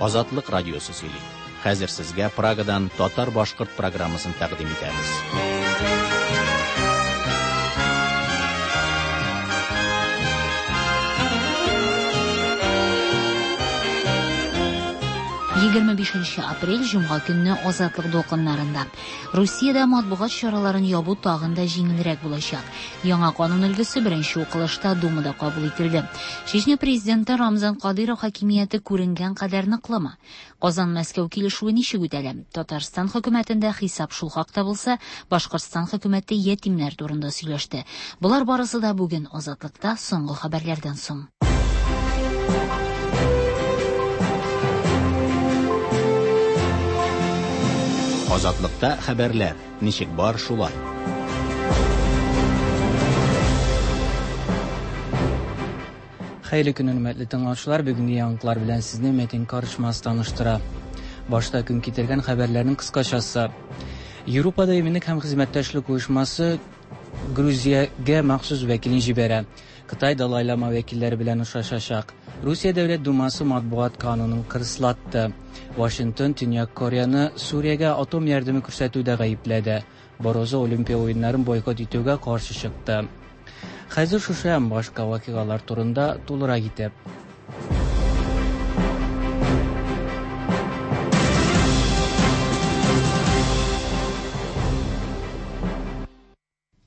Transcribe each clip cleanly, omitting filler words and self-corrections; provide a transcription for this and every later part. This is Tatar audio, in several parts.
Азатлык радиосы сөйли. Хәзер сезгә Прагадан татар-башкорт программасын тәкъдим итәбез. 25 апрель җомга көнне Азатлык дулкыннарында. Русиядә матбугат чараларын ябу тагын да җиңелрәк булачак. Яңа канун өлгесе беренче укылышта Думада кабул ителде. Чечня президенты Рамзан Кадыйров хакимияте күренгән кадәр ныклымы? Казан-Мәскәү килешүе ничек үтәлә? Татарстан хөкүмәтендә хисап шул хакта булса, Башкортстан хөкүмәте ятимнәр турында сөйләште. Болар барысы да бүген Азатлыкта соңгы хәбәрләрдән соң. Азатлыкта хәбәрләр ничек бар шулай. Хәерле көн, хөрмәтле тыңлаучылар. Бүгенге яңалыклар белән сезне Мәтин Карышмас таныштыра. Башта көн китергән хәбәрләрнең кыскачасы. Европада иминлек һәм хезмәттәшлек оешмасы Грузиягә махсус вәкилен җибәрә. Кытай Далай Лама вәкилләре белән очрашачак. Русия Дәүләт Думасы матбугат канунын кырыслатты. Вашингтон Төньяк Кореяны Сүриягә атом ярдәме күрсәтүдә гаепләде. Барозо Олимпия уеннарын бойкот итүгә каршы чыкты. Хәзер шушы һәм башка вакыйгалар турында тулырак итеп.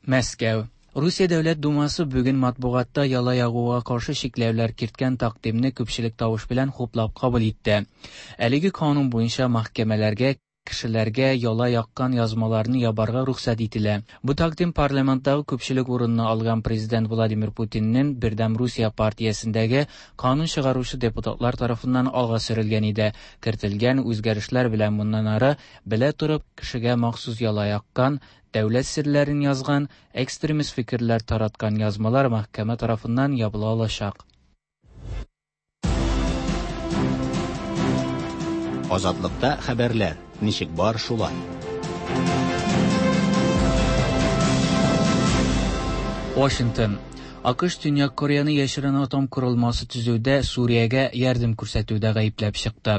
Мәскәү. Русия Дәүләт Думасы бүген матбугатта яла ягуга каршы чикләүләр керткән тәкъдимне күпчелек тавыш белән хуплап кабул итте. Әлеге канун буенча мәхкәмәләргә кешеләргә яла яккан язмаларны ябарга рөхсәт ителә. Бу тәкъдим парламенттагы күпчелек урынны алган президент Владимир Путинның Бердәм Русия партиясендәге канун чыгаручы депутатлар тарафыннан алга сөрелгән иде. Кертелгән үзгәрешләр белән моннан ары белә торып кешегә махсус яла яккан, дәүләт серләрен язган, экстремист фикерләр тараткан язмалар мәхкәмә тарафыннан ябыла алачак. Азатлыкта хәбәрләр ничек бар шулай. Вашингтон. АКШ Төньяк Кореяны яшерен атом корылмасы төзүдә Сүриягә ярдәм күрсәтүдә гаепләп чыкты.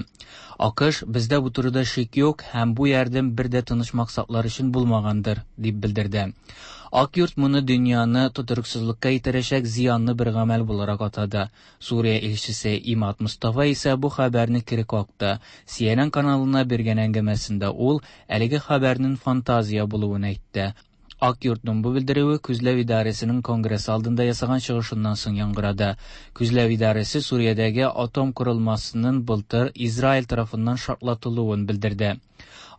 АКШ бездә бу турыда шик юк һәм бу ярдәм бер дә тыныч максатлар өчен булмагандыр, дип белдерде. Ак йорт моны дөньяны тотрыксызлыкка итерәчәк зыянлы бер гамәл буларак атады. Сүрия илчесе Имад Мустафа исә бу хәбәрне кире какты. CNN каналына биргән әңгәмәсендә ул әлеге хәбәрнең фантазия булуын әйтте. Ак йортның бу белдерүе Күзләү идарәсенең конгресс алдында ясаган чыгышыннан соң яңгырады. Күзләү идарәсе Сүриядәге атом корылмасының былтыр Израиль тарафыннан шартлатылуын белдерде.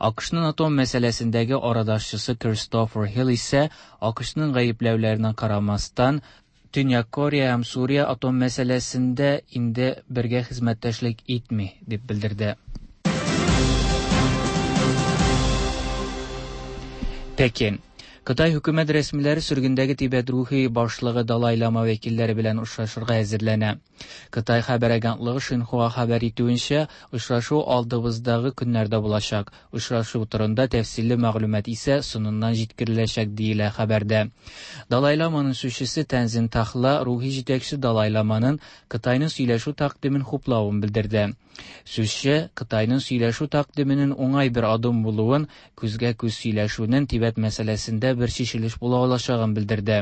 АКШның атом мәсьәләсендәге арадашчысы Кристофер Хилл исә АКШның гаепләүләренә карамастан Төньяк Корея һәм Сүрия атом мәсьәләсендә инде бергә хезмәттәшлек итми, дип белдерде. Пекин. Кытай хөкүмәт рәсмиләре сөргендәге Тибет рухи башлыгы Далай Лама вәкилләре белән очрашырга әзерләнә. Кытай хәбәр агентлыгы Шинхуа хәбәр итүенчә, очрашу алдыбыздагы көннәрдә булачак. Очрашу турында тәфсилле мәгълүмат исә соңыннан җиткереләчәк диелә хәбәрдә. Далай Ламаның сүзчесе Тәнзин Тахла рухи җитәкче Далай Ламаның Кытайның сөйләшү тәкъдимен хуплавын белдерде. Сүзче Кытайның сөйләшү тәкъдименең уңай бер адым булуын, күзгә-күз сөйләшүнең Тибет мәсьәләсендә бер чишелеш була алачагын белдерде.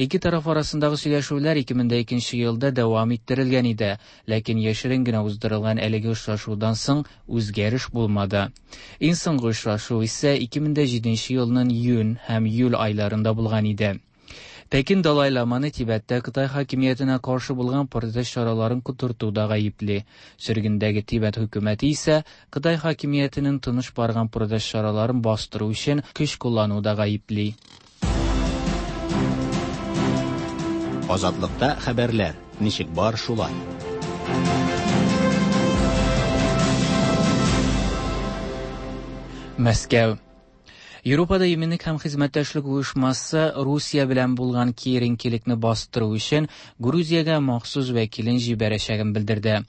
Ике тараф арасындагы сөйләшүләр 2002 елда дәвам иттерелгән иде, ләкин яшерен генә уздырылган әлеге очрашудан соң үзгәреш булмады. Иң соңгы очрашу исә 2007 елның июнь һәм июль айларында булган иде. Пекин Далай Ламаны Тибеттә Кытай хакимиятенә каршы булган протест чараларын котыртуда гаепли. Сөргендәге Тибет хөкүмәте исә Кытай хакимиятенең тыныч барган протест чараларын бастыру өчен көч куллануда гаепли. Азатлыкта хәбәрләр ничек бар шулай. Мәскәү. Европада иминлек һәм хезмәттәшлек оешмасы Русия белән булган киеренкелекне бастыру өчен Грузиягә махсус вәкилен җибәрәчәген белдерде.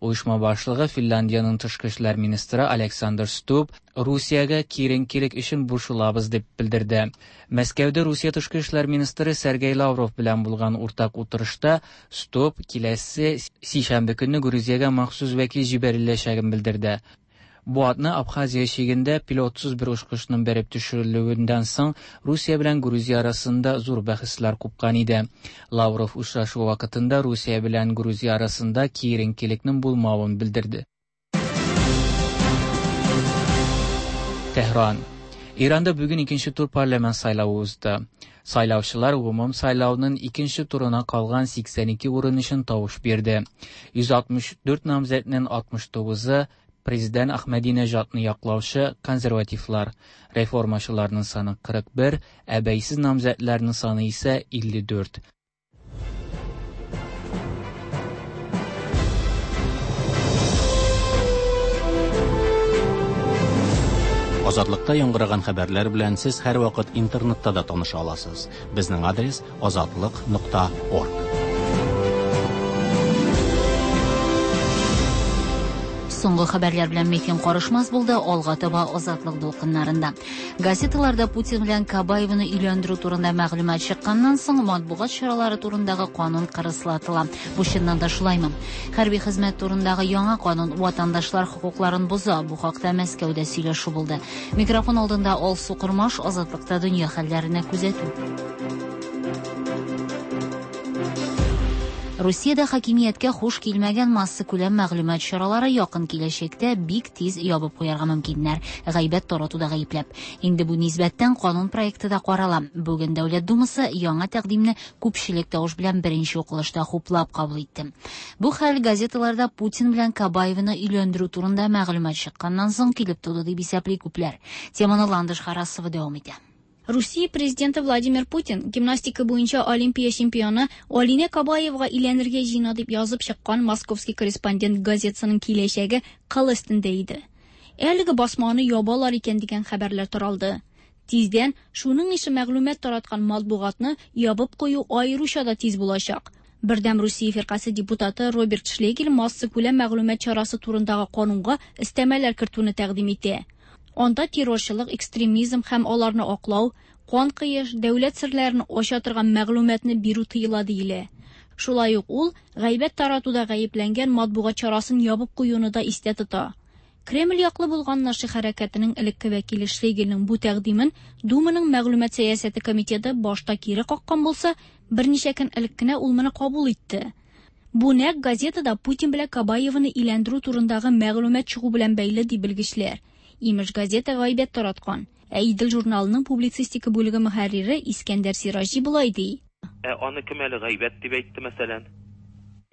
Оешма башлыгы Финляндиянең тышкы эшләр министры Александр Стуб Русиягә киеренкелек өчен борчылабыз дип белдерде. Мәскәүдә Русия тышкы эшләр министры Сергей Лавров белән булган уртак утырышта Стуб киләсе сишәмбе көнне Грузиягә махсус вәкил җибәреләчәген белдерде. Бу атна Абхазия чигендә пилотсыз бер очкычның бәреп төшерелүеннән соң Русия белән Грузия арасында зур бәхәсләр купкан иде. Лавров очрашу вакытында Русия белән Грузия арасында киеренкелекнең булмавын белдерде. Tehran. İranda bugün ikinci tur parlament saylawı узды. Сайлаучылар гомум сайлауның икенче турына калган 82 урын өчен тавыш бирде. 164 намзәтнең 69-ы президент Ахмадинежадны яклаучы консервативлар. Реформачыларның саны 41, ә бәйсез намзәтләрнең саны исә 54. Азатлыкта яңгыраган хәбәрләр белән сез һәрвакыт интернетта да таныша аласыз. Безнең адрес azatliq.org. Соңгы хәбәрләр белән Мехин карышмас булды, алга таба Азатлык дулкыннарында. Газеталарда Путин белән Кабаеваны өйләндерү турында мәгълүмат чыкканнан соң матбугат чаралары турындагы канун кырыслатыла. Бу чыннан да шулаймы? Хәрби хезмәт турындагы яңа канун ватандашлар хокукларын боза. Бу хакта Мәскәүдә сөйләшү булды. Микрофон алдында Алсу Кормаш, Азатлыкта дөнья хәлләренә күзәтү. Русиядә хакимияткә хуш килмәгән массакүләм мәгълүмат чаралары якын киләчәктә бик тиз ябып куярга мөмкиннәр. Гайбәт таратуда гаепләп. Инде бу нисбәттән канун проекты да карала. Бүген Дәүләт Думасы яңа тәкъдимне күпчелек тавыш белән беренче укылышта хуплап кабул итте. Бу хәл газеталарда Путин белән Кабаеваны өйләндерү турында мәгълүмат чыкканнан соң килеп туды дип исәпли күпләр. Теманы Ландыш Харасова дәвам итә. Русия президенты Владимир Путин гимнастика буенча Олимпия чемпионы Алинә Кабаевага өйләнергә җыена дип язып чыккан Московский корреспондент газетасының киләчәге кыл өстендә иде. Әлеге басманы ябалар икән дигән хәбәрләр таралды. Тиздән шуның ише мәгълүмат тараткан матбугатны ябып кую аеруча да тиз булачак. Бердәм Русия фиркасе депутаты Роберт Шлегель массакүләм мәгълүмат чарасы турындагы канунга өстәмәләр кертүне тәкъдим итә. Анда террорчылык, экстремизм һәм аларны аклау, кан кыеш, дәүләт серләрен ача торган мәгълүматны бирү тыела диелә. Шулай ук ул гайбәт таратуда гаепләнгән матбугат чарасын ябып куюны да истә тота. Кремль яклы булган Наши хәрәкәтенең элекке вәкиле Шлегельнең бу тәкъдимен Думаның мәгълүмат сәясәте комитеты башта кире каккан булса, берничә көн элек кенә ул моны кабул итте. Бу нәкъ газетада Путин белән Кабаеваны өйләндерү турындагы мәгълүмат чыгу белән бәйле ди белгечләр. Имеш газета гайбәт тараткан. Ә Идел журналының публицистика бүлеге мөхәррире Искәндәр Сираҗи болай ди. Ә аны кем әле гайбәт дип әйтте мәсәлән?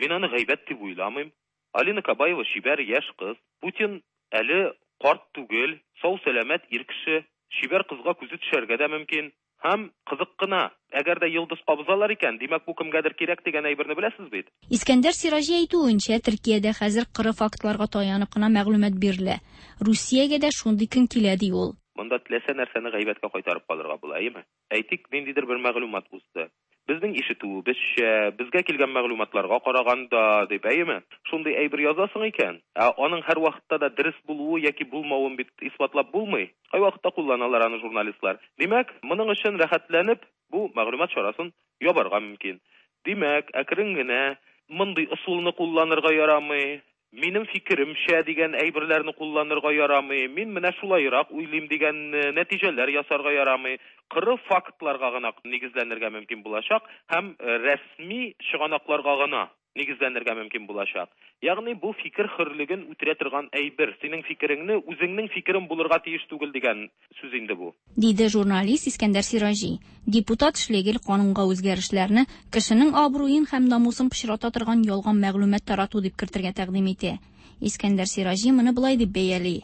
Мин аны гайбәт дип уйламыйм. Алина Кабаева чибәр яшь кыз. Путин әле карт түгел, сау сәламәт ир кеше. Чибәр кызга күзе төшәргә дә мөмкин. Һәм кызык кына, әгәр дә йолдыз кабызалар икән, димәк бу кемгәдер кирәк дигән әйберне беләсез бит. Искәндәр Сираҗи әйтүенчә, Төркиядә хәзер кыры фактларга таянып кына мәгълүмат бирелә. Русиягә дә шундый көн килә ди ул. Монда теләсә нәрсәне гайбәткә кайтарып калырга була, әйеме? Әйтик, ниндидер бер мәгълүмат узды. Безнең ишетүебезчә, безгә килгән мәгълүматларга караганда дип, әйеме? Шундый әйбер язасың икән, ә аның һәр вакытта да дөрес булуы яки булмавын бит исбатлап булмый. Кайвакытта кулланалар аны журналистлар. Димәк, моның өчен рәхәтләнеп бу мәгълүмат чарасын ябарга мөмкин. Димәк, әкрен генә мондый ысулны кулланырга ярамый. Минем фикеремчә дигән әйберләрне кулланырга ярамый. Мин менә шулайрак уйлыйм дигән нәтиҗәләр ясарга ярамый. Кыры фактларга гына нигезләнергә мөмкин булачак һәм рәсми чыганакларга гына нигезләнергә мөмкин булачак. Ягъни бу фикер хөрлеген үтерә торган әйбер. Синең фикереңне үзеңнең фикерең булырга тиеш түгел дигән сүз инде бу. Диде журналист Искәндәр Сираҗи. Депутат Шлегель канунга үзгәрешләрне кешенең абруен һәм намусын пычрата торган ялган мәгълүмат тарату дип кертергә тәкъдим итә. Искәндәр Сираҗи моны болай дип бәяли.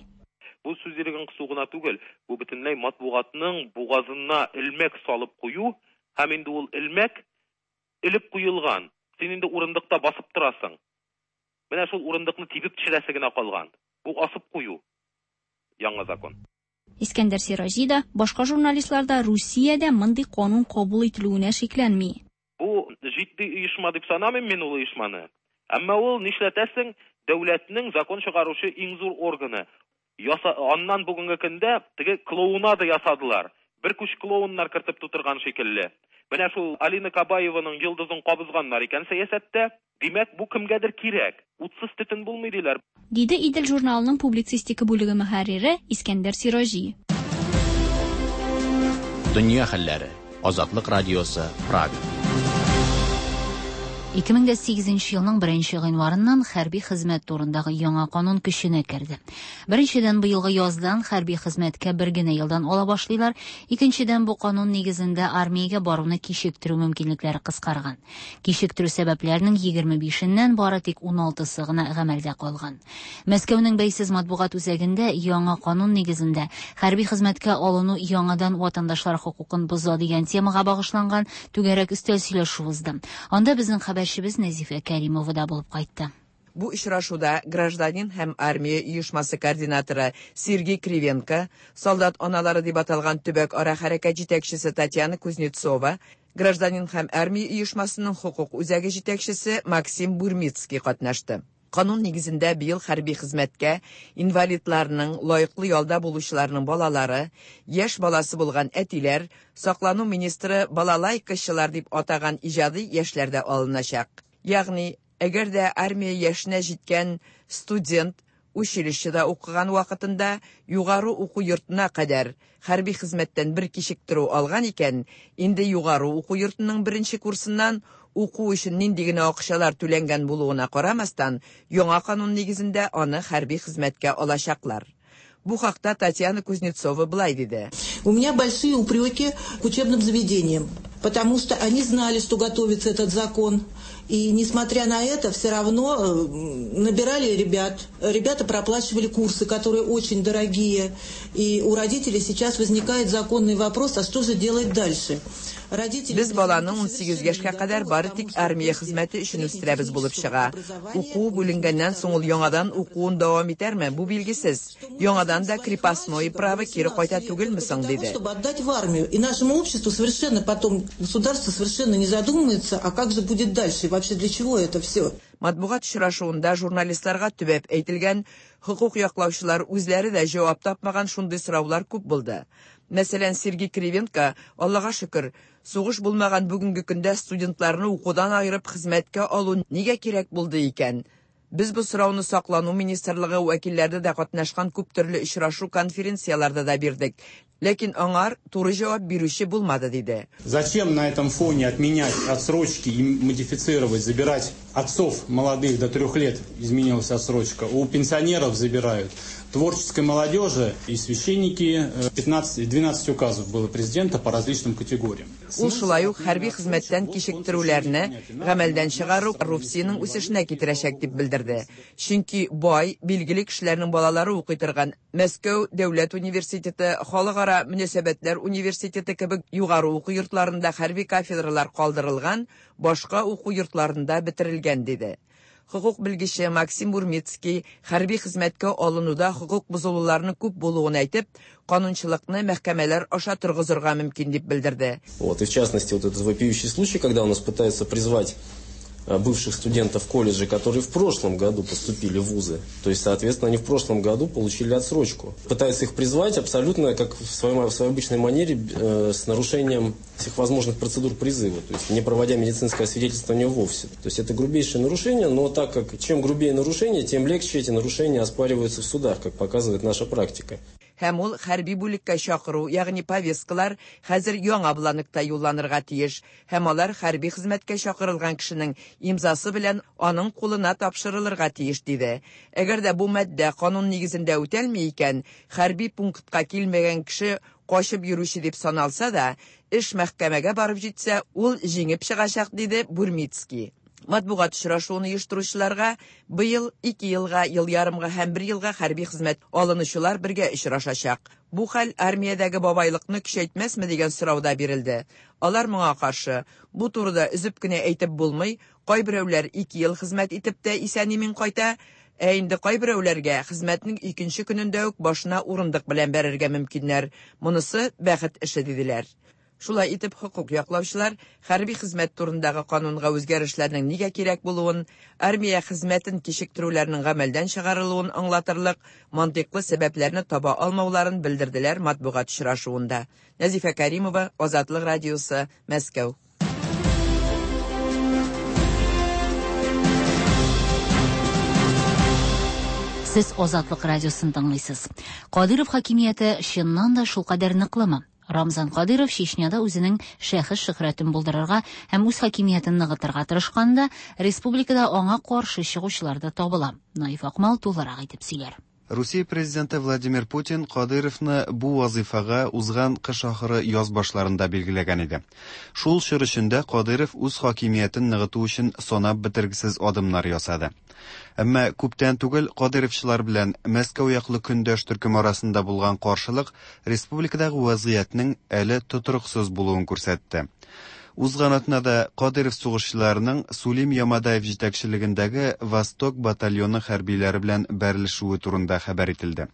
Бу сүз иреген кысу гына түгел, бу бөтенләй матбугатның бугазына элмәк салып кую һәм инде ул элмәк элеп куелган. Син инде урындыкта басып торасың. Менә шул урындыкны тибеп төшерәсе генә калган. Бу асып кую. Яңа закон. Искәндәр Сираҗи да, башка журналистлар да Русиядә мондый канун кабул ителүенә шикләнми. Бу җитди оешма дип санамыйм мин ул оешманы. Әмма ул, нишләтәсең, дәүләтнең закон чыгаручы иң зур органы. Яса, аннан бүгенге көндә теге клоунада ясадылар. Бер күч клоуннар кертеп тутырган шикелле. Менә шул Алина Кабаеваның йолдызын кабызганнар икән сәясәттә. Димәк, бу кемгәдер кирәк. Утсыз төтен булмый диләр. Диде Идел журналының публицистика бүлеге мөхәррире Искәндәр Сираҗи. Дөнья хәлләре. Азатлык радиосы, Прага. 2008 елның 1 гыйнварыннан хәрби хезмәт турындагы яңа канун көченә керде. Беренчедән, быелгы яздан хәрби хезмәткә бер генә елдан ала башлыйлар. Икенчедән, бу канун нигезендә армиягә баруны кичектерү мөмкинлекләре кыскарган. Кичектерү сәбәпләренең 25-ннән бары тик 16-сы гына гамәлдә калган. Мәскәүнең бәйсез матбугат үзәгендә яңа канун нигезендә хәрби хезмәткә алыну яңадан ватандашлар хокукын боза дигән темага багышланган түгәрәк өстәл сөйләшү узды. Анда безнең хәбәрчебез Нәзифә Кәримова да булып кайтты. Бу очрашуда гражданин һәм армия оешмасы координаторы Сергей Кривенко, солдат аналары дип аталган төбәк ара хәрәкәт җитәкчесе Татьяна Кузнецова, гражданин һәм армия оешмасының хокук үзәге җитәкчесе Максим Бурмицкий катнашты. Канун нигезендә быел хәрби хезмәткә инвалидларның, лаеклы ялда булучыларның балалары, яшь баласы булган әтиләр, саклану министры балалайкачылар дип атаган иҗади яшьләр дә алыначак. Ягъни, әгәр дә армия яшенә җиткән студент училищеда укыган вакытында югары уку йортына кадәр хәрби хезмәттән бер кичектерү алган икән, инде югары уку йортының беренче курсыннан уку өчен нинди генә акчалар түләнгән булуына карамастан, яңа канун нигезендә аны хәрби хезмәткә алачаклар. Бу хакта Татьяна Кузнецова былай диде. У меня большие упреки к учебным заведениям, потому что они знали, что готовится этот закон. И несмотря на это, все равно набирали ребят. Ребята проплачивали курсы, которые очень дорогие. И у родителей сейчас возникает законный вопрос, а что же делать дальше? Родители Без баланы 18 яшькә кадәр бары тик армия хезмәте өчен үстерәбез булып чыга. Уку бүленгәннән соң ул яңадан укуын дәвам итәрме? Бу билгесез. Яңадан да крепостное право кире кайта түгелме соң, диде. Чтобы отдать в армию. И нашему обществу совершенно потом, государство совершенно не задумывается, а как же будет дальше и вообще для чего это все. Матбугат очрашуында журналистларга төбәп әйтелгән, хокук яклаучылар үзләре дә җавап тапмаган шундый сораулар күп булды. Мәсәлән, Сергей Кривенко, Аллага шөкер, сугыш булмаган бүгенге көндә студентларны укудан аерып хезмәткә алу нигә кирәк булды икән? Без бу сорауны саклану министрлыгы вәкилләре дә катнашкан күп төрле очрашу конференцияләрдә дә бирдек. Ләкин аңар туры җавап бирүче булмады, диде. Зачем на этом фоне отменять отсрочки и модифицировать, забирать отцов молодых до 3 лет, изменилась отсрочка, у пенсионеров забирают, творческой молодежи и священники, 12 указов было президента по различным категориям. Ул шулай ук хәрби хезмәттән кичектерүләрне гамәлдән чыгару коррупциянең үсешенә китерәчәк дип белдерде. Чөнки бай, билгеле кешеләрнең балалары укый торган Мәскәү дәүләт университеты, Халыкара мөнәсәбәтләр университеты кебек югары уку йортларында хәрби кафедралар калдырылган, башка уку йортларында бетерелгән, диде. Хокук белгече Максим Бурмицкий хәрби хезмәткә алынуда хокук бозылуларның күп булуын әйтеп, канунчылыкны мәхкәмәләр аша торгызырга мөмкин дип белдерде. И в частности, этот вопиющий случай, когда у нас пытаются призвать бывших студентов колледжа, которые в прошлом году поступили в вузы. То есть, соответственно, они в прошлом году получили отсрочку. Пытаются их призвать абсолютно, как в своей обычной манере, с нарушением всех возможных процедур призыва, то есть не проводя медицинское освидетельствование вовсе. То есть это грубейшее нарушение, но так как чем грубее нарушение, тем легче эти нарушения оспариваются в судах, как показывает наша практика. Һәм ул хәрби бүлеккә чакыру, ягъни повесткалар хәзер яңа бланкта юлланырга тиеш. Һәм алар хәрби хезмәткә чакырылган кешенең имзасы белән аның кулына тапшырылырга тиеш, диде. Әгәр дә бу маддә канун нигезендә үтәлми икән, хәрби пунктка килмәгән кеше качып йөрүче дип саналса да, эш мәхкәмәгә барып җитсә, ул җиңеп чыгачак, диде Бурмицкий. Матбугат очрашуын оештыручыларга быел 2 елга, ел ярымга һәм 1 елга хәрби хезмәт алынучылар бергә очрашачак. Бу хәл армиядәге бабайлыкны көчәйтмәсме дигән сорау да бирелде. Алар моңа каршы, бу турыда өзеп кенә әйтеп булмый, кайберәүләр 2 ел хезмәт итеп тә исән-имин кайта, Ә инде кайберәүләргә хезмәтнең икенче көнендә үк башына урындык белән бәрергә мөмкиннәр. Монысы бәхет эше диделәр. Шулай итеп, хокук яклаучылар хәрби хезмәт турындагы канунга үзгәрешләрнең нигә кирәк булуын, армия хезмәтен кичектерүләрнең гамәлдән чыгарылуын аңлатырлык мантыйклы сәбәпләрне таба алмауларын белдерделәр матбугат очрашуында. Нәзифә Кәримова, Азатлык радиосы, Мәскәү. Сез Азатлык радиосын тыңлыйсыз. Кадыйров хакимияте чыннан да шулкадәр ныклымы? Рамзан Кадыйров Чечняда үзенең шәхес шөһрәтен булдырырга һәм үз хакимиятен ныгытырга тырышканда, республикада аңа каршы чыгучылар да табыла. Наиф Акмал тулырак итеп сөйләр. Русия президенты Владимир Путин Кадыйровны бу вазыйфага узган кыш ахыры яз башларында билгеләгән иде. Шул чор эчендә Кадыйров үз хакимиятен ныгыту өчен санап бетергесез адымнар ясады. Әмма күптән түгел кадыйровчылар белән Мәскәү яклы көндәш төркем арасында булган каршылык республикадагы вазгыятьнең әле тотрыксыз булуын күрсәтте. Узган атнада Кадыйров сугышчыларының Сулим Ямадаев җитәкчелегендәге Восток батальоны хәрбиләре белән бәрелешүе турында хәбәр ителде.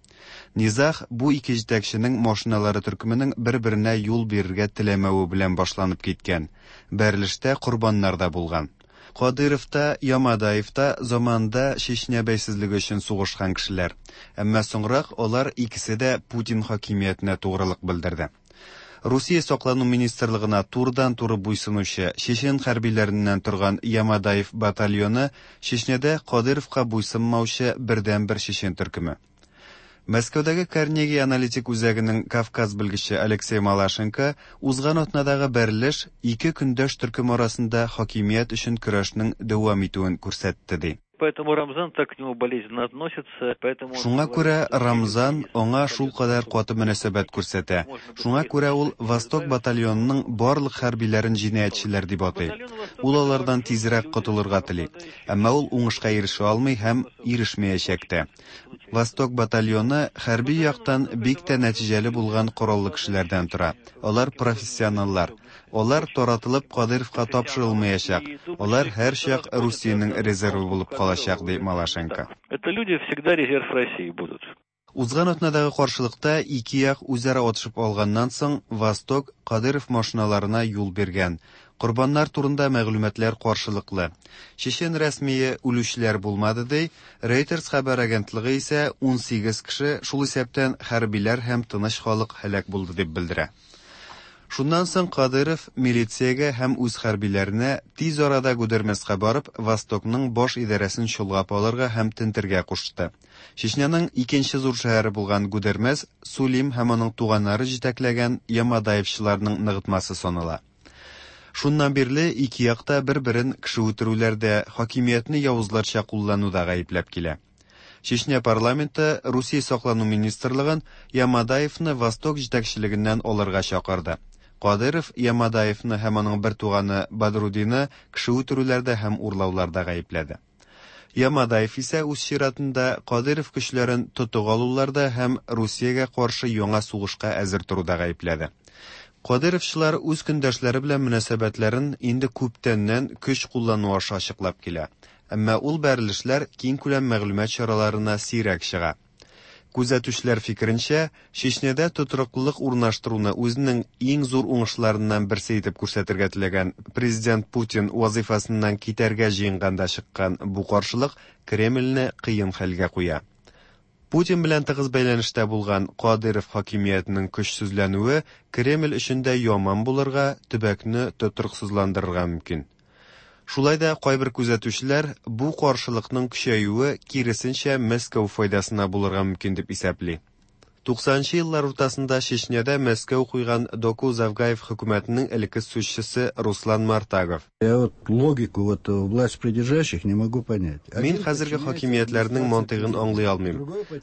Низаг бу ике җитәкченең машиналары төркеменең бер-беренә юл бирергә теләмәве белән башланып киткән. Бәрелештә корбаннар да булган. Кадыйров та, Ямадаев та заманында Чечня бәйсезлеге өчен сугышкан кешеләр. Әмма соңрак алар икесе дә Путин хакимиятенә тугрылык белдерде. Русия саклану министрлыгына турыдан-туры буйсынучы чечен хәрбиләреннән торган Ямадаев батальоны Чечнядә Кадыйровка буйсынмаучы бердәнбер чечен төркеме. Мәскәүдәге Карнеги аналитик үзәгенең Кавказ белгече Алексей Малашенко узган атнадагы бәрелеш ике көндәш төркем арасында хакимият өчен көрәшнең дәвам итүен күрсәтте ди. Поэтому Рамзан так к нему болезненно относится, поэтому Шуңа күрә Рамзан аңа шулкадәр каты мөнәсәбәт күрсәтә. Шуңа күрә ул Восток батальонының барлык хәрбиләрен җинаятьчеләр дип атый. Ул алардан тизрәк котылырга тели. Әмма ул уңышка ирешә алмый һәм ирешмәячәк тә. Восток батальоны хәрби яктан бик тә нәтиҗәле булган кораллы кешеләрдән тора. Алар профессионаллар. Алар таратылып Кадыйровка тапшырылмаячак. Алар һәрчак Русиянең резервы булып калачак, ди Малашенко. Это люди всегда резерв России будут. Узган атнадагы каршылыкта ике як үзара атышып алганнан соң Восток Кадыйров машиналарына юл биргән. Корбаннар турында мәгълүматлар каршылыклы. Чечен рәсмие үлүчеләр булмады ди, Reuters хәбәр агентлыгы исә 18 кеше, шул исәптән хәрбиләр һәм тыныч халык һәлак булды дип белдерә. Шуннан соң Кадыйров милициягә һәм үз хәрбиләренә тиз арада Гудермеска барып, Востокның баш идарәсен чолгап алырга һәм тентергә кушты. Чечняның икенче зур шәһәре булган Гудермес Сулим һәм аның туганнары җитәкләгән Ямадаевчыларның ныгытмасы санала. Шуннан бирле ике як та бер-берен кеше үтерүләрдә, хакимиятне явызларча куллануда гаепләп килә. Чечня парламенты Русия саклану министрлыгын Ямадаевны Восток җитәкчелегеннән алырга чакырды. Кадыйров Ямадаевны һәм аның бер туганы Бадрудины кеше үтерүләрдә һәм урлауларда гаепләде. Ямадаев исә үз чиратында Кадыйров көчләрен тотып алуларда һәм Русиягә каршы яңа сугышка әзер торуда гаепләде. Кадыйровчылар үз көндәшләре белән мөнәсәбәтләрен инде күптәннән көч куллану аша ачыклап килә. Әмма ул бәрелешләр киңкүләм мәгълүмат чараларына сирәк чыга. Күзәтүчеләр фикеренчә, Чечнядә тотрыклылык урнаштыруны үзенең иң зур уңышларыннан берсе итеп күрсәтергә теләгән президент Путин вазыйфасыннан китәргә җыенганда чыккан бу каршылык Кремльне кыен хәлгә куя. Путин белән тыгыз бәйләнештә булган Кадыйров хакимиятенең көчсезләнүе Кремль өчен дә яман булырга, төбәкне тотрыксызландырырга мөмкин. Шулай да кайбер күзәтүчеләр бу каршылыкның көчәюе киресенчә Мәскәү файдасына булырга мөмкин дип исәпли. 90нчы еллар уртасында Чечняда Мәскәү куйган Доку Завгаев хөкүмәтенең элекке сүзчесе Руслан Мартагов. Я вот логику вот власть придержащих не могу понять. Мин хәзерге хакимиятләрнең мантыйгын аңлый алмыйм.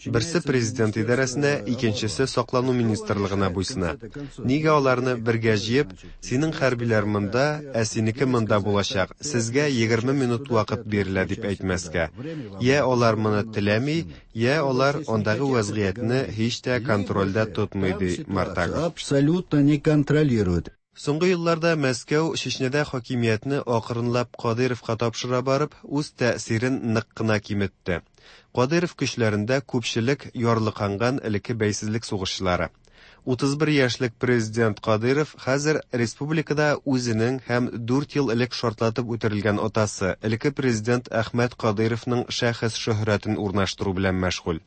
Берсе президент идарәсенә, икенчесе саклану министрлыгына буйсына. Нигә аларны бергә җыеп, синең хәрбиләр монда, ә синеке монда булачак, сезгә 20 минут вакыт бирелә дип әйтмәскә. Я алар моны теләми, я алар андагы вазгыятьне һич тә контрольдә тотмый, ди Мартагов. Абсолютно не контролирует. Соңгы елларда Мәскәү Чечняда хакимиятне акрынлап Кадыйровка тапшыра барып, үз тәэсирен нык кына киметте. Кадыйров көчләрендә күпчелек ярлыканган элекке бәйсезлек сугышчылары. 31 яшьлек президент Кадыйров хәзер республикада үзенең һәм 4 ел элек шартлатып үтерелгән атасы, элекке президент Әхмәт Кадыйровның шәхес шөһрәтен урнаштыру белән мәшгуль.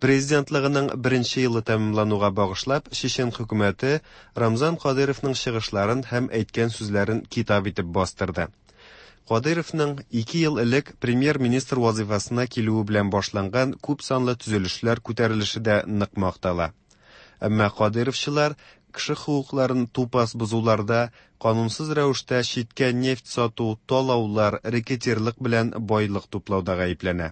Президентлыгының беренче елы тәмамлануга багышлап, Чечен хөкүмәте Рамзан Кадыйровның чыгышларын һәм әйткән сүзләрен китап итеп бастырды. Кадыйровның ике ел элек премьер-министр вазыйфасына килүе белән башланган күп санлы төзелешләр күтәрелеше дә нык мактала. Әмма кадыйровчылар кеше хокукларын тупас бозуларда, канунсыз рәвештә читкә нефть сату, талаулар, рэкетирлык белән байлык туплауда гаепләнә.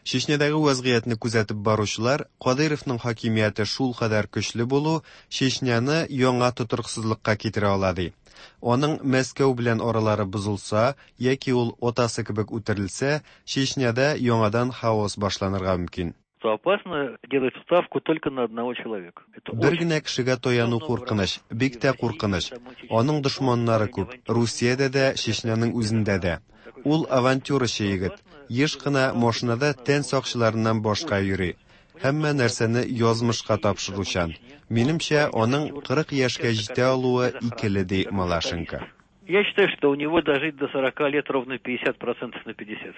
Чечнядагы вәзгыятьне күзәтеп баручылар Кадыйровның хакимияте шулкадәр көчле булу Чечняны яңа тотрыксызлыкка китерә ала ди. Аның Мәскәү белән аралары бозылса яки ул атасы кебек үтерелсә, Чечняда яңадан хаос башланырга мөмкин. То опасно делать ставку только на одного человека. Это Бер генә кешегә таяну куркыныч, бик тә куркыныч. Аның дошманнары күп, Русиядә дә, Чечняның үзендә дә. Ул авантюрачы егет, еш кына машинада тән сакчыларыннан башка йөри. Һәммә нәрсәне язмышка тапшыручан. Минемчә, аның 40 яшькә җитә алуы икеле, ди Малашенко. Я считаю, что у него дожить до 40 лет ровно 50% на 50.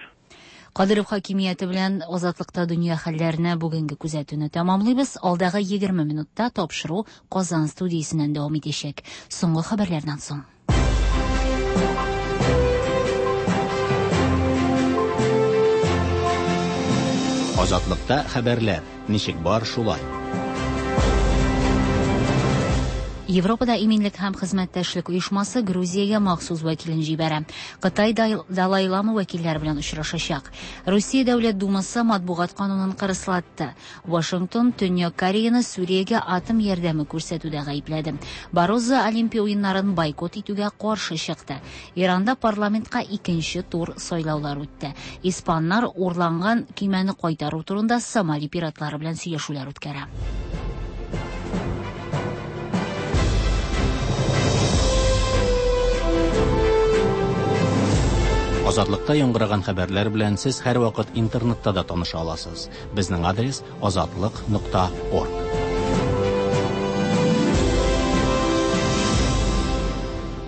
Кадыров хакимияте белән Азатлыкта дөнья хәлләренә бүгенге күзәтүне тәмамлыйбыз. Алдагы 20 минутта тапшыру Казан студиясеннән дәвам итәчәк. Соңгы хәбәрләрдән соң. Азатлыкта хәбәрләр ничек бар шулай. Европада иминлек һәм хезмәттәшлек оешмасы Грузиягә махсус вәкилен җибәрә. Кытай Далай Лама вәкилләре белән очрашачак. Русия Дәүләт Думасы матбугат канунын кырыслатты. Вашингтон Төньяк Кореяны Сүриягә атом ярдәме күрсәтүдә гаепләде. Барозо Олимпия уеннарын бойкот итүгә каршы чыкты. Иранда парламентка икенче тур сайлаулар үтте. Испаннар урланган көймәне кайтару турында Сомали пиратлары белән сөйләшүләр үткәрә. Азатлыкта яңгыраган хәбәрләр белән сез һәрвакыт интернетта да таныша аласыз. Безнең адрес азатлык.орг.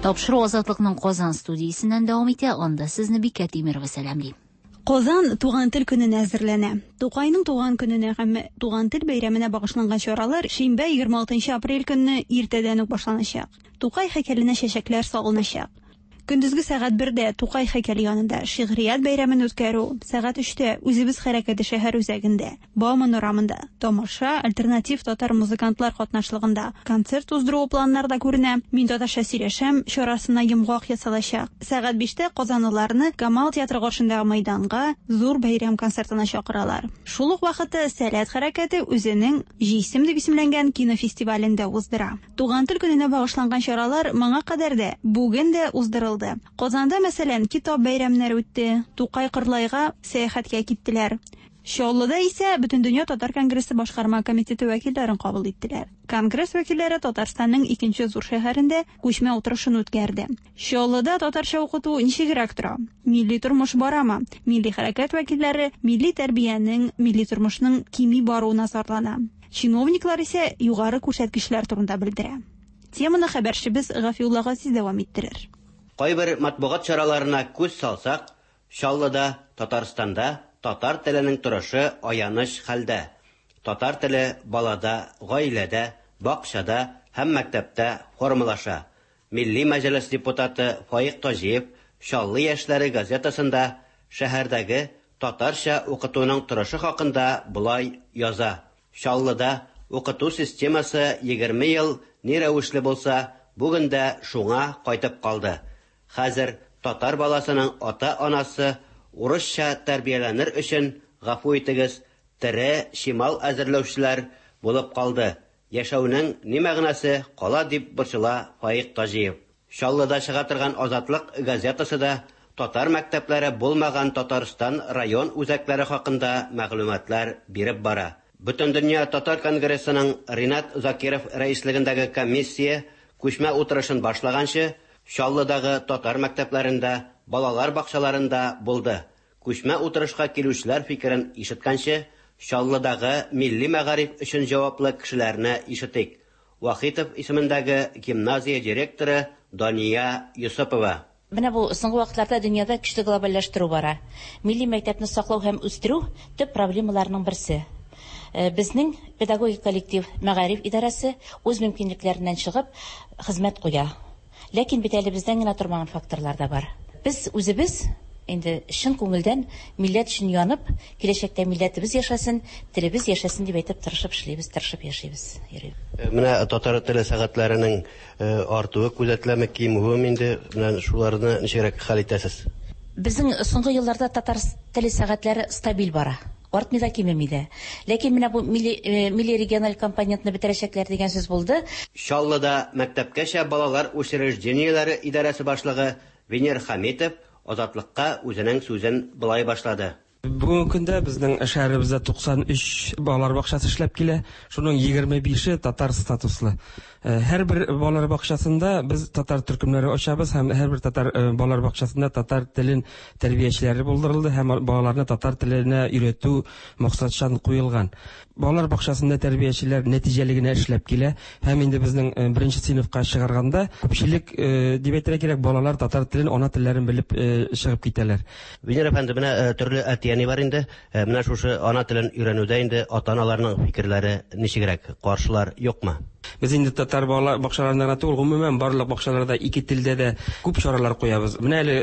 Тапшыру Азатлыкның Казан студиясеннән дәвам итә. Анда сезне Бикә Тимирова сәламли. Казан туган тел көненә әзерләнә. Тукайның туган көненә һәм туган тел бәйрәменә багышланган чаралар шимбә 26 апрель көнне иртәдән үк башланачак. Тукай һәйкәленә чәчәкләр салыначак. Көндезге сәгать 1дә Тукай һәйкәле янында шигърият бәйрәмен үткәрү, сәгать 3тә Үзебез хәрәкәте шәһәр үзәгендә, Бауман урамында тамаша, альтернатив татар музыкантлар катнашлыгында концерт уздыру планнарда күренә. Мин татарча сөйләшәм чарасына йомгак ясалачак. Сәгать 5тә казанлыларны Камал театры каршындагы мәйданга зур бәйрәм концертына чакыралар. Шул ук вакытта Сәләт хәрәкәте үзенең Җисем дип исемләнгән кинофестивален дә уздыра. Туган тел көненә багышланган чаралар моңа кадәр дә, бүген дә уздырылды. Казанда, мәсәлән, китап бәйрәмнәре үтте, Тукай Кырлайга сәяхәткә киттеләр. Чаллыда исә Бөтендөнья татар конгрессы башкарма комитеты вәкилләрен кабул иттеләр. Конгресс вәкилләре Татарстанның икенче зур шәһәрендә күчмә утырышын үткәрде. Чаллыда татарча укыту ничегрәк тора? Милли тормыш барамы? Милли хәрәкәт вәкилләре милли тәрбиянең, милли тормышның кими баруына зарлана. Чиновниклар исә югары күрсәткечләр турында белдерә. Теманы хәбәрчебез Гафиулла Газиз дәвам иттерер. Кайбер матбугат чараларына күз салсак, Чаллыда, Татарстанда татар теленең торышы аяныч хәлдә. Татар теле балада, гаиләдә, бакчада һәм мәктәптә формалаша. Милли мәҗлес депутаты Фаик Таҗиев Чаллы яшьләре газетасында шәһәрдәге татарча укытуның торышы хакында болай яза. Чаллыда укыту системасы 20 ел ни рәвешле булса, бүген дә шуңа кайтып калды. Хәзер татар баласының ата-анасы урысча тәрбияләнер өчен, гафу итегез, тере чимал әзерләүчеләр булып калды. Яшәүнең ни мәгънәсе кала дип борчыла Фаик Таҗиев. Чаллыда чыга торган Азатлык газетасы да татар мәктәпләре булмаган Татарстан район үзәкләре хакында мәгълүматлар биреп бара. Бөтендөнья татар конгрессының Ринат Закиров рәислегендәге комиссия Күчмә утырышын башлаганчы, Чаллыдагы татар мәктәпләрендә, балалар бакчаларында булды. Күчмә утырышка килүчеләр фикерен ишеткәнче, Чаллыдагы милли мәгариф өчен җаваплы кешеләрне ишетик. Вахитов исемендәге гимназия директоры Дания Йосыпова. Менә бу соңгы вакытларда дөньяда көчле глобальләштерү бара. Милли мәктәпне саклау һәм үстерү төп проблемаларның берсе. Безнең педагогик коллектив, мәгариф идарәсе үз мөмкинлекләреннән чыгып хезмәт куя. Ләкин бит әле бездән генә тормаган факторлар да бар. Без үзебез инде чын күңелдән милләт өчен янып, киләчәктә милләтебез яшәсен, телебез яшәсен дип әйтеп тырышып эшлибез, тырышып яшибез, йөрибез. Менә татар теле сәгатьләренең артуы күзәтеләме, кимүеме инде? Менә шуларны ничегрәк хәл итәсез? Безнең соңгы елларда татар теле сәгатьләре стабиль бара. Артмый да, кимеми дә. Ләкин менә бу милли, милли региональ компонентны бетерәчәкләр дигән сүз булды. Чаллыда мәктәпкәчә балалар учреждениеләре идарәсе башлыгы Венер Хәмитов Азатлыкка үзенең сүзен болай башлады. Бүгенге көндә безнең шәһәребездә 93 балалар бакчасы эшләп килә. Шуның 25-е татар статуслы. Һәрбер балалар бакчасында без татар төркемнәре ачабыз һәм һәрбер татар балалар бакчасында татар телен тәрбиячеләре булдырылды һәм балаларны татар теленә өйрәтү максатчан куелган. Балалар бакчасында тәрбиячеләр нәтиҗәле генә эшләп килә һәм инде безнең беренче сыйныфка чыгарганда күпчелек, дип әйтергә кирәк, балалар татар телен, ана телләрен белеп чыгып китәләр. Венера әфәнде, менә төрле әти-әни бар инде. Менә шушы ана телен өйрәнүдә инде ата-аналарның фикерләре ничегрәк? Каршылар юкмы? Без инде татар бала бакчаларында гына түгел, гомумән барлык бакчаларда ике телдә дә күп чаралар куябыз. Менә әле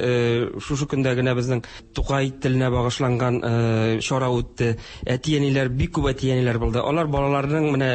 шушы көндә генә безнең Тукай теленә багышланган чара үтте. Әти-әниләр, бик күп әти-әниләр булды. Алар балаларының менә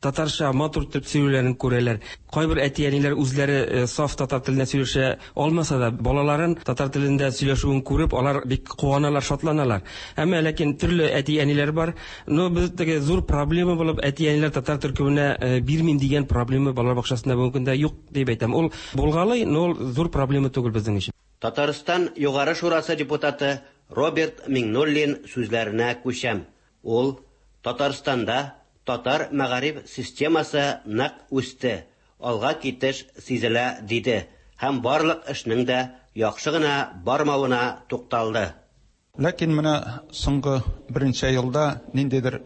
татарча матур итеп сөйләүләрен күрәләр. Кайбер әти-әниләр үзләре саф татар телендә сөйләшә алмаса да, балаларын татар телендә сөйләшүен күреп, алар бик куаналар, шатланалар. Әмма ләкин төрле әти-әниләр бар. Но без теге зур проблема булып әти-әниләр татар төркеменә бирмим дигән проблема балалар бакчасында бүгенге көндә юк дип әйтәм. Ул булгалый, но ул зур проблема түгел безнең өчен. Татарстан Югары Шурасы депутаты Роберт Миңнуллин сүзләренә күчәм. Ул, Татарстанда татар мәгариф системасы нык үсте, алга китеш сизелә, диде һәм барлык эшнең дә яхшы гына бармавына тукталды. Ләкин менә соңгы берничә елда ниндидер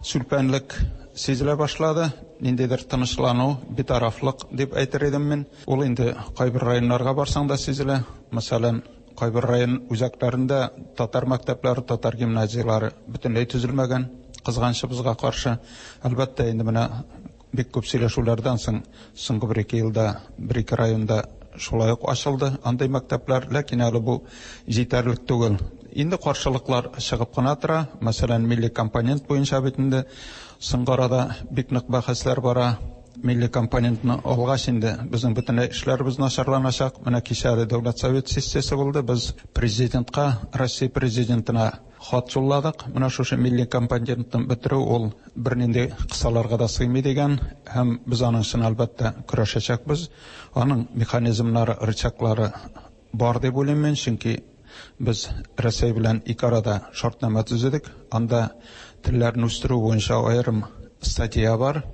сүлпәнлек сизелә башлады, ниндидер тынычлану, битарафлык дип әйтер идем мин. Ул инде кайбер районнарга барсаң да сизелә. Мәсәлән, кайбер район үзәкләрендә татар мәктәпләре, татар гимназияләре бөтенләй төзелмәгән, кызганычыбызга каршы. Әлбәттә, инде менә Бик күп сөйләшүләрдән соң, соңгы бер-ике елда бер-ике районда шулай ук ачылды андый мәктәпләр, ләкин әле бу җитәрлек түгел. Инде каршылыклар чыгып кына тора. Мәсәлән, милли компонент буенча бит инде соңгы арада бик нык бәхәсләр бара. Милли компонентны алгач инде безнең бөтенләй эшләребез начарланачак. Менә кичә әле Дәүләт Совет сессиясе булды. Без президентка, Россия президентына Хат юлладык. Менә шушы милли компонентны бетерү ул бернинди кысаларга да сыймый дигән һәм без аның өчен, әлбәттә, көрәшәчәкбез. Аның механизмнары, рычаглары бар дип уйлыйм мин, чөнки без Рәсәй белән ике арада шартнамә төзедек. Анда телләрне үстерү буенча аерым статья бар.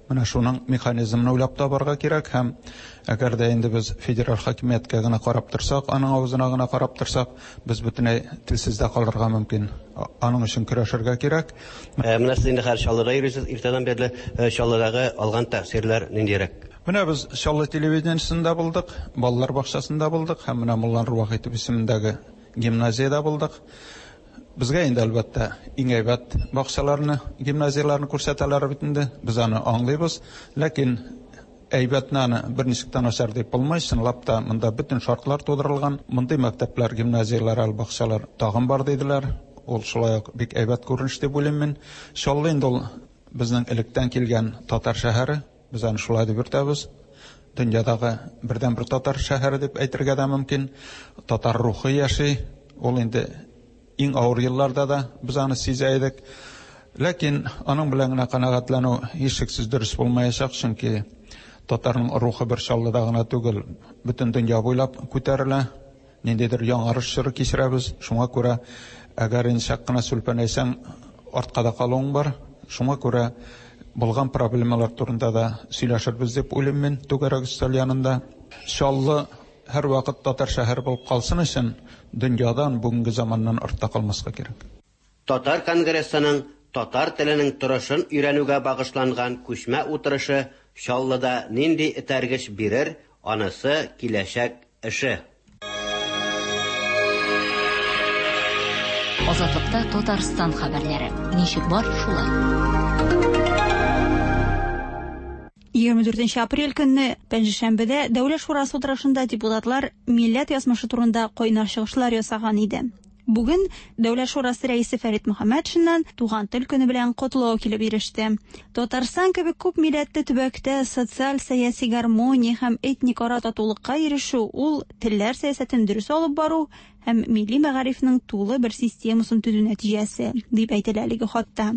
Менә шуның механизмын уйлап табарга кирәк һәм әгәр дә инде без федераль хакимияткә генә карап торсак, аның авызына гына карап торсак, без бөтенләй телсез дә калырга мөмкин. Аның өчен көрәшергә кирәк. Менә сез инде хәзер Чаллыда йөрисез, иртәдән бирле Чаллыдагы алган тәэсирләр ниндирәк? Менә без Чаллы телевидениесендә булдык, балалар бакчасында булдык һәм менә Мулланур Вахитов исемендәге гимназиядә булдык. Безгә инде, әлбәттә, иң әйбәт бакчаларны, гимназияләрне күрсәтәләр бит инде. Без аны аңлыйбыз. Ләкин әйбәтне аны берничек тә начар дип булмый. Чынлап та, монда бөтен шартлар тудырылган. Мондый мәктәпләр, гимназияләр, әле бакчалар тагын бар, диделәр. Ул шулай ук бик әйбәт күренеш дип уйлыйм мин. Чаллы инде ул безнең электән килгән татар шәһәре. Без аны шулай дип йөртәбез. Дөньядагы бердәнбер татар шәһәре дип әйтергә дә мөмкин. Татар рухы яши. Ул инде иң авыр елларда да без аны сизә идек. Ләкин аның белән генә канәгатьләнү һичшиксез дөрес булмаячак, чөнки татарның рухы бер Чаллыда гына түгел, бөтен дөнья буйлап күтәрелә. Ниндидер яңарыш чоры кичерәбез. Шуңа күрә, әгәр инде чак кына сүлпәнәйсәң, артка да калуың бар. Шуңа күрә Булган проблемалар турында да сөйләшербез дип уйлыйм мин түгәрәк өстәл янында. Чаллы һәрвакыт татар шәһәре булып калсын өчен дөньядан, бүгенге заманнан артта калмаска кирәк. Татар конгрессының татар теленең торышын өйрәнүгә багышланган күчмә утырышы Чаллыда нинди этәргеч бирер, анысы киләчәк эше. Азатлыкта Татарстан хәбәрләре. Ничек бар, шулай. 24 апрель көнне Пәнҗешәмбедә Дәүләт шурасы утырышында депутатлар милләт язмышы турында кайнар чыгышлар ясаган иде. Бүген Дәүләт шурасы рәисе Фәрит Мөхәммәтшиннан Туган тел көне белән котлау килеп иреште. Татарстан кебек күп милләтле төбәктә социаль-сәяси гармония һәм этник ара татулыкка ирешү ул телләр сәясәтен дөрес алып бару һәм милли мәгарифнең тулы бер системасын төзү нәтиҗәсе, дип әйтелә әлеге хатта.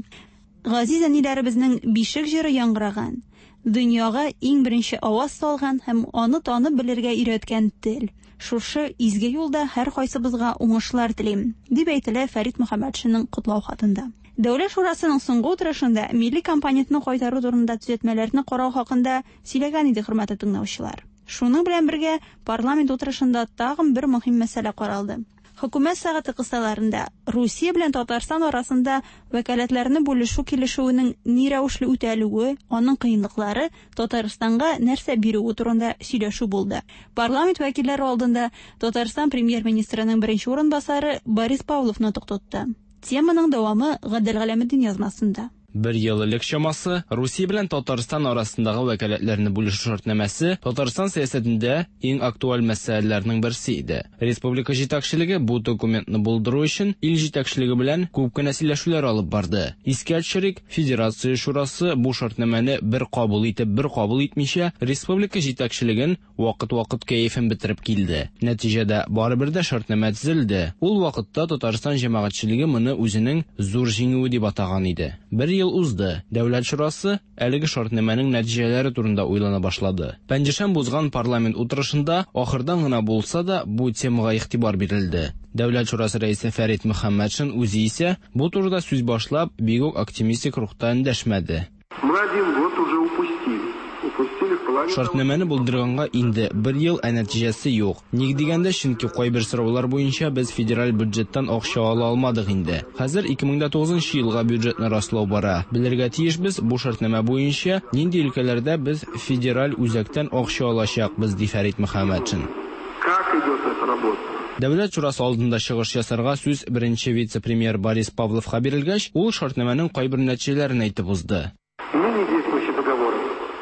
Газиз әниләребезнең бишек җыры яңгыраган, дөньяга иң беренче аваз салган һәм аны танып белергә өйрәткән тел. Шушы изге юлда һәркайсыбызга уңышлар телим, дип әйтелә Фәрит Мөхәммәтшинның котлау хатында. Дәүләт шурасының соңгы утырышында милли компонентны кайтару турында төзәтмәләрне карау хакында сөйләгән иде хөрмәтле тыңлаучылар. Шуның белән бергә парламент утырышында тагын бер мөһим мәсьәлә каралды. Хөкүмәт сәгате кысаларында Русия белән Татарстан арасында вәкаләтләрне бүлешү килешүенең ни рәвешле үтәлүе, аның кыенлыклары, Татарстанга нәрсә бирүе турында сөйләшү булды. Парламент вәкилләре алдында Татарстан премьер-министрының беренче урынбасары Борис Павлов нотык тотты. Теманың дәвамы Гадел Галәметдин язмасында. Бер ел элек чамасы Русия белән Татарстан арасындагы вәкаләтләрне бүлешү шартнамәсе Татарстан сәясәтендә иң актуаль мәсьәләләрнең берсе иде. Республика җитәкчелеге бу документны булдыру өчен ил җитәкчелеге белән күп кенә сөйләшүләр алып барды. Искә төшерик, Федерация шурасы бу шартнамәне бер кабул итеп, бер кабул итмичә, республика җитәкчелеген вакыт-вакыт кәефен бетереп килде. Нәтиҗәдә, барыбер дә шартнамә төзелде. Ул вакытта Татарстан җәмәгатьчелеге моны үзенең зур җиңүе дип атаган иде. Бер ел узды. Дәүләт шурасы әлеге шартнамәнең нәтиҗәләре турында уйлана башлады. Пәнҗешәмбе узган парламент утырышында ахырдан гына булса да бу темага игътибар бирелде. Дәүләт шурасы рәисе Фәрит Мөхәммәтшин үзе исә бу турыда сүз башлап, бик үк оптимистик рухта эндәшмәде. Мы один год уже упустили. Упустили в плане... Шартнамәне булдырганга инде бер ел, ә нәтиҗәсе юк. Ник дигәндә, чөнки кайбер сораулар буенча без федераль бюджеттан акча ала алмадык инде. Хәзер 2009 елга бюджетны раслау бара. Белергә тиешбез, бу шартнамә буенча нинди өлкәләрдә без федераль үзәктән акча алачакбыз, ди Фәрит Мөхәммәтшин. Как идет эта работа? Дәүләт шурасы алдында чыгыш ясарга сүз беренче вице-премьер Борис Павловка бирелгәч, ул шартнамәнең кайбер нәтиҗәләрен әйтеп узды. Ныне действующий договор,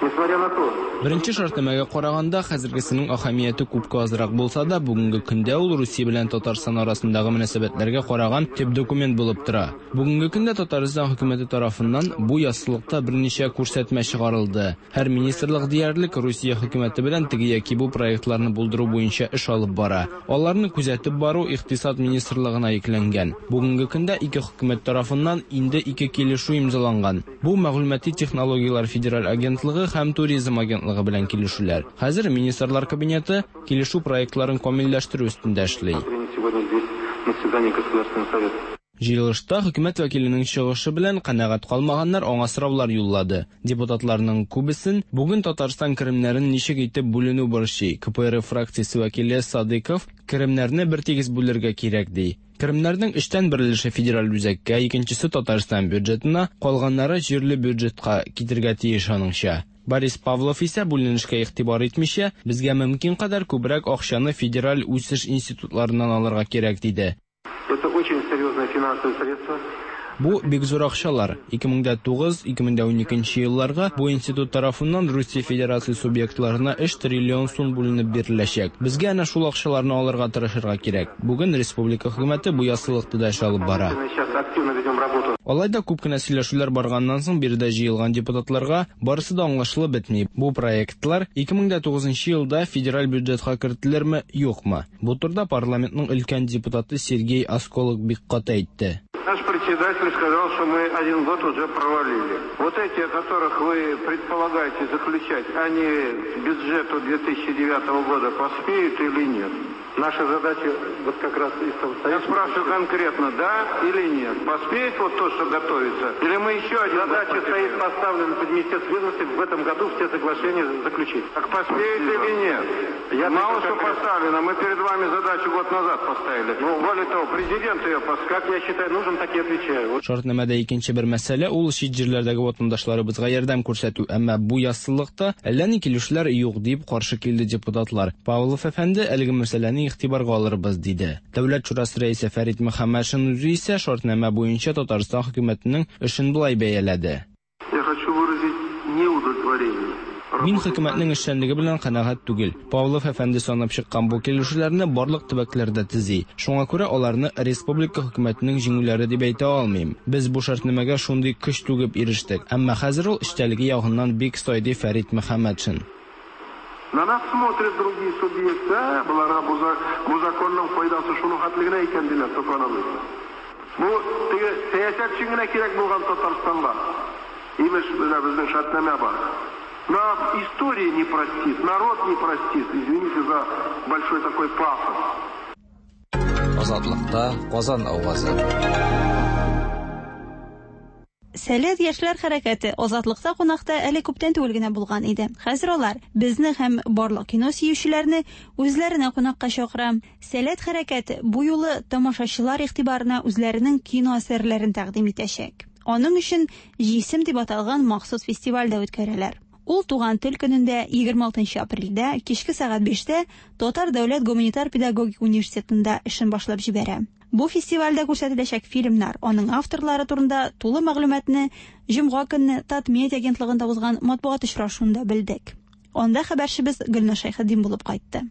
несмотря на то, Беренче шартнамәгә караганда, хәзергесенең әһәмияте күпкә азрак булса да, бүгенге көндә ул Русия белән Татарстан арасындагы мөнәсәбәтләргә караган төп документ булып тора. Бүгенге көндә Татарстан хөкүмәте тарафыннан бу яссылыкта берничә күрсәтмә чыгарылды. Һәр министрлык диярлек Русия хөкүмәте белән теге яки бу проектларны булдыру буенча эш алып бара. Аларны күзәтеп бару Икътисад министрлыгына йөкләнгән. Бүгенге көндә ике хөкүмәт тарафыннан инде ике килешү имзаланган. Бу мәгълүмати технологияләр федераль агентлыгы һәм туризм агентлыгы белән килешүләр. Хәзер Министрлар кабинеты килешү проектларын камилләштерү өстендә эшли. Сегодня здесь на заседании Государственного совета. Җыелышта хөкүмәт вәкиленең чыгышы белән канәгать калмаганнар аңа сораулар юллады. Депутатларның күбесен бүген Татарстан керемнәрен ничек итеп бүленү борчый. КПРФ фракциясе вәкиле Садыков керемнәрне бертигез бүлергә кирәк ди. Керемнәрнең өчтән бер өлеше федераль үзәккә, икенчесе Татарстан бюджетына, калганнары җирле бюджетка китергә тиеш аныңча. Борис Павлов исә бүленешкә игътибар итмичә, безгә мөмкин кадәр күбрәк акчаны федераль үсеш институтларыннан алырга кирәк диде. Это очень серьезные финансовые средства. Бу бик зур акчалар. 2009-2012 елларга бу институт тарафыннан Русия Федерация субъектларына 3 триллион сум бүленеп биреләчәк. Безгә әнә шул акчаларны алырга тырышырга кирәк. Бүген республика хөкүмәте бу яссылыкта да эш алып бара. Сейчас активно ведем работу. Алай да күп кенә сөйләшүләр барганнан соң биредә җыелган депутатларга барысы да аңлашылып бетми. Бу проектлар 2009 елда федераль бюджетка кертелерме, юкмы? Бу турыда парламентның өлкән депутаты Сергей Осколок бик каты әйтте. Наш председатель председатель сказал, что мы один год уже провалили. Вот эти, о которых вы предполагаете заключать, они к бюджету 2009 года поспеют или нет? Наша задача вот как раз и Я спрашиваю конкретно, да или нет? Поспеет вот то, что готовится? Или мы еще один Задача стоит поставлена под Министерство ведомости в этом году все соглашения заключить. Так поспеет или нет? Я Мало что конкретно. поставлено. Мы перед вами задачу год назад поставили. Ну, более того, президент ее поставил. Как я считаю нужным, так и отвечаю. Вот. Шартнамәдә икенче бер мәсьәлә ул чит җирләрдәге ватандашларыбызга ярдәм күрсәтү, әмма бу яссылыкта әллә ни килешүләр юк дип каршы килде депутатлар. Павлов әфәнде әлеге мәсьәләне игътибарга алырбыз диде. Дәүләт шурасы рәисе Фәрит Мөхәммәтшин үзе исә шартнамә буенча Татарстан хөкүмәтенең эшен болай бәяләде. Я хочу выразить неудовлетворение. Мин хөкүмәтнең эшчәнлеге белән канәгать түгел. Павлов әфәнде санап чыккан бу килешүләрне барлык төбәкләрдә төзи. Шуңа күрә аларны республика хөкүмәтенең җиңүләре дип әйтә алмыйм. Без бу шартнамәгә шундый көч түгеп ирештек. Әмма хәзер ул эчтәлеге ягыннан бик сай, ди Фәрит Мөхәммәтшин. На нас смотрят другие субъекты, а, боларга бу законның файдасы шуның хәтле генә икән диләр, сокланабыз. Бу теге сәясәт өчен генә кирәк булган Татарстанга. Имеш, менә безнең шартнамә бар. Нас история не простит, народ не простит, извините за большой такой пафос. Азатлыкта Казан авазы. Сәләт яшьләр хәрәкәте Азатлыкта кунакта әле күптән түгел генә булган иде. Хәзер алар безне һәм барлык кино сөючеләрне үзләренә кунакка чакыра. Сәләт хәрәкәте бу юлы тамашачылар игътибарына үзләренең кино әсәрләрен тәкъдим итәчәк. Аның өчен Җисем дип аталган махсус фестиваль дә үткәрәләр. Ул туган тел көнендә 26 апрельдә кичке сәгать 5-тә Татар дәүләт гуманитар педагогик университетында эшен башлап җибәрә. Бу фестивальдә күрсәтеләчәк фильмнар, аның авторлары турында тулы мәгълүматны җомга көнне Татмедиа агентлыгында узган матбугат очрашуында белдек. Анда хәбәрчебез Гөлназ Шәйхетдин булып кайтты.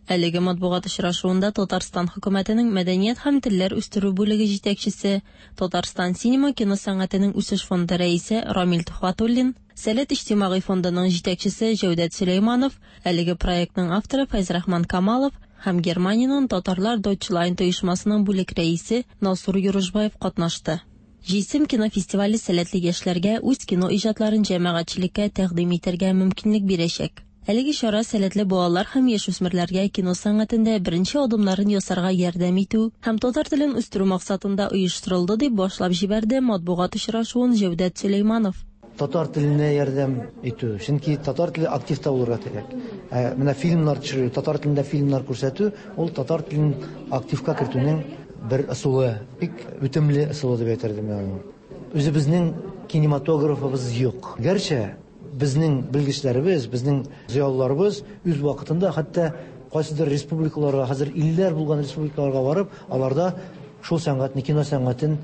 Әлеге матбугат очрашуында Татарстан хөкүмәтенең мәдәният һәм телләр үстерү бүлеге җитәкчесе, Татарстан синема кино сәнгатенең үсеш фонды рәисе Рамил Тухватуллин, Сәләт иҗтимагый фондының җитәкчесе Җәүдәт Сөләйманов, әлеге проектның авторы Фәйзрахман Камалов һәм Германиянең Татарлар Deutschland оешмасының бүлек рәисе Насур Юрушбаев катнашты. Җисем кино фестивале сәләтле яшьләргә үз кино иҗатларын җәмәгатьчелеккә тәкъдим итәргә мөмкинлек бирәчәк. Әлеге чара сәләтле балалар һәм яшүсмерләргә кино сәнгатендә беренче адымнарын ясарга ярдәм итү һәм татар телен үстерү максатында оештырылды, дип башлап җибәрде матбугат очрашуын Җәүдәт Сөләйманов. Татар теленә ярдәм итү, чөнки татар теле активта булырга кирәк. Менә фильмнар төшерү, татар телендә фильмнар күрсәтү, ул татар телен активка кертүнең бер ысулы, бик үтемле ысулы дип әйтер идем мин аны. Үзебезнең кинематографыбыз юк. Гәрчә безнең белгечләребез, безнең зыялыларыбыз үз вакытында хәтта кайсыдыр республикаларга, хәзер илләр булган республикаларга барып, аларда шул сәнгатьне, кино сәнгатен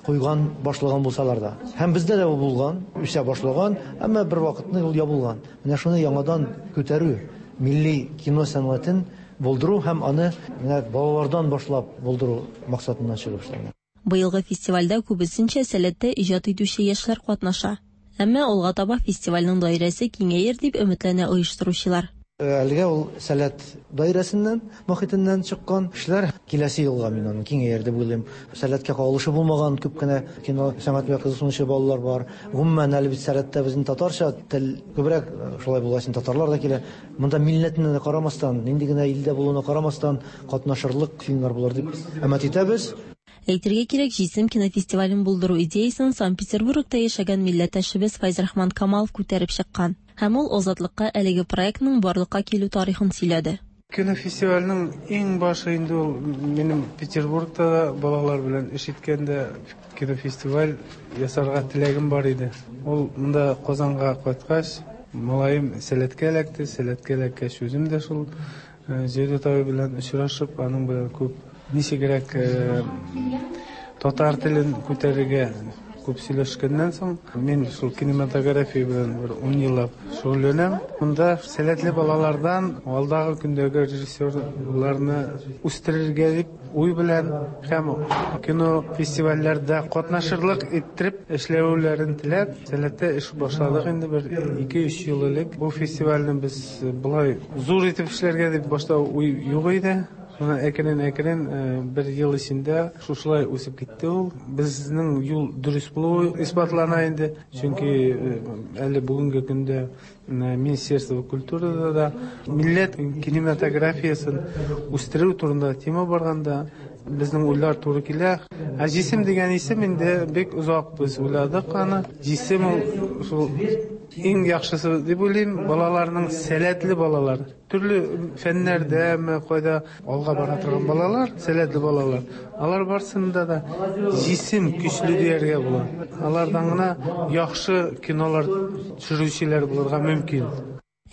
куйган, башлаган булсалар да. Һәм бездә дә ул булган, үсә башлаган, әмма бер вакытны ул ябылган. Менә шуны яңадан күтәрү, милли кино сәнгатен булдыру һәм аны менә балалардан башлап булдыру максатыннан чыгып эшләнгән. Быелгы фестивальдә күбесенчә сәләттә иҗат итүче яшьләр катнаша. Әмма алга таба фестивальнең даирәсе киңәер дип өметләнә оештыручылар. Әлегә ул сәләт даирәсеннән, мохитеннән чыккан кешеләр киләсе елга мин аны киңәер дип уйлыйм. Сәләткә кагылышы булмаган күп кенә кино сәнгать белән кызыксынучы балалар бар. Гомумән, әле бит сәләттә безнең татарча тел күбрәк, шулай булгач, татарлар да килә. Монда милләтенә дә карамастан, нинди генә илдә булуына карамастан катнашырлык фильмнар булыр дип өмет итәбез. Әйтергә кирәк, Җисем кинофестивален булдыру идеясын Санкт-Петербургта яшәгән милләттәшебез Фәйзрахман Камалов күтәреп чыккан. Һәм ул Азатлыкка әлеге проектның барлыкка килү тарихын сөйләде. Кинофестивальнең иң башы инде ул минем Петербургта да балалар белән эш иткәндә кинофестиваль ясарга теләгем бар иде. Ул монда Казанга кайткач, малаем сәләткә эләкте, сәләткә эләккәч үзем дә шул Җәүдәт абый белән очрашып, аның белән күп ничегрәк татар телен күтәрергә күп сөйләшкәннән соң, мин шул кинематография белән бер 10 еллап шөгыльләнәм. Монда сәләтле балалардан алдагы көндәге режиссерларны үстерергә дип уй белән һәм кино фестивальләрдә катнашырлык иттереп эшләүләрен теләп, сәләттә эш башладык инде бер 2-3 ел элек. Бу фестивальне без болай зур итеп эшләргә дип башта уй юк иде. Шуннан әкрен-әкрен бер ел эчендә шушылай үсеп китте ул. Безнең юл дөрес булуы исбатлана инде. Чөнки әле бүгенге көндә Министерство культурада да милләт кинематографиясен үстерү турында тема барганда безнең уйлар туры килә. Ә Җисем дигән исем инде бик озак без уйладык аны. Җисем ул шул иң яхшысы дип уйлыйм, балаларның сәләтле балалар. Төрле фәннәрдәме, кайда алга бара торган балалар, сәләтле балалар. Алар барсында да җисем көчле дияргә була. Алардан гына яхшы кинолар төшерүчеләр булырга мөмкин.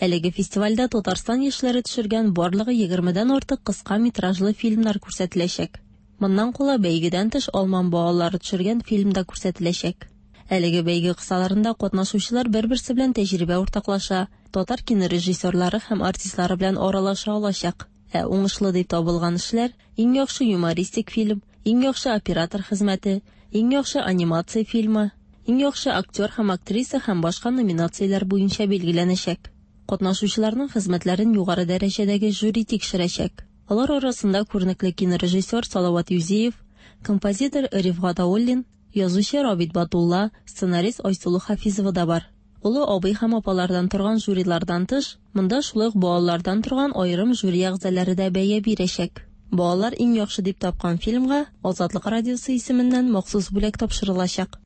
Әлеге фестивальдә Татарстан яшьләре төшергән барлыгы егермедән артык кыска метражлы фильмнар күрсәтеләчәк. Моннан кала, бәйгедән тыш алман балалары төшергән фильм да күрсәтеләчәк. Әлеге бәйге кысаларында катнашучылар бер-берсе белән тәҗрибә уртаклаша, татар кинорежиссерлары һәм артистлары белән аралаша алачак. Ә уңышлы дип табылган эшләр Иң яхшы юмористик фильм, Иң яхшы оператор хезмәте, Иң яхшы анимация фильмы, Иң яхшы актер һәм актриса һәм башка номинацияләр буенча билгеләнәчәк. Катнашучыларның хезмәтләрен югары дәрәҗәдәге жюри тикшерәчәк. Алар арасында күренекле кинорежиссер Салават Юзиев, композитор Рифгат Ауллин, язучы Рабит Батулла, сценарист Айсылу Хафизова да бар. Олы абый һәм апалардан торган жюрилардан тыш, монда шулай ук балалардан торган аерым жюри әгъзалары да бәя бирәчәк. Балалар иң яхшы дип тапкан фильмга Азатлык радиосы исеменнән махсус бүләк тапшырылачак.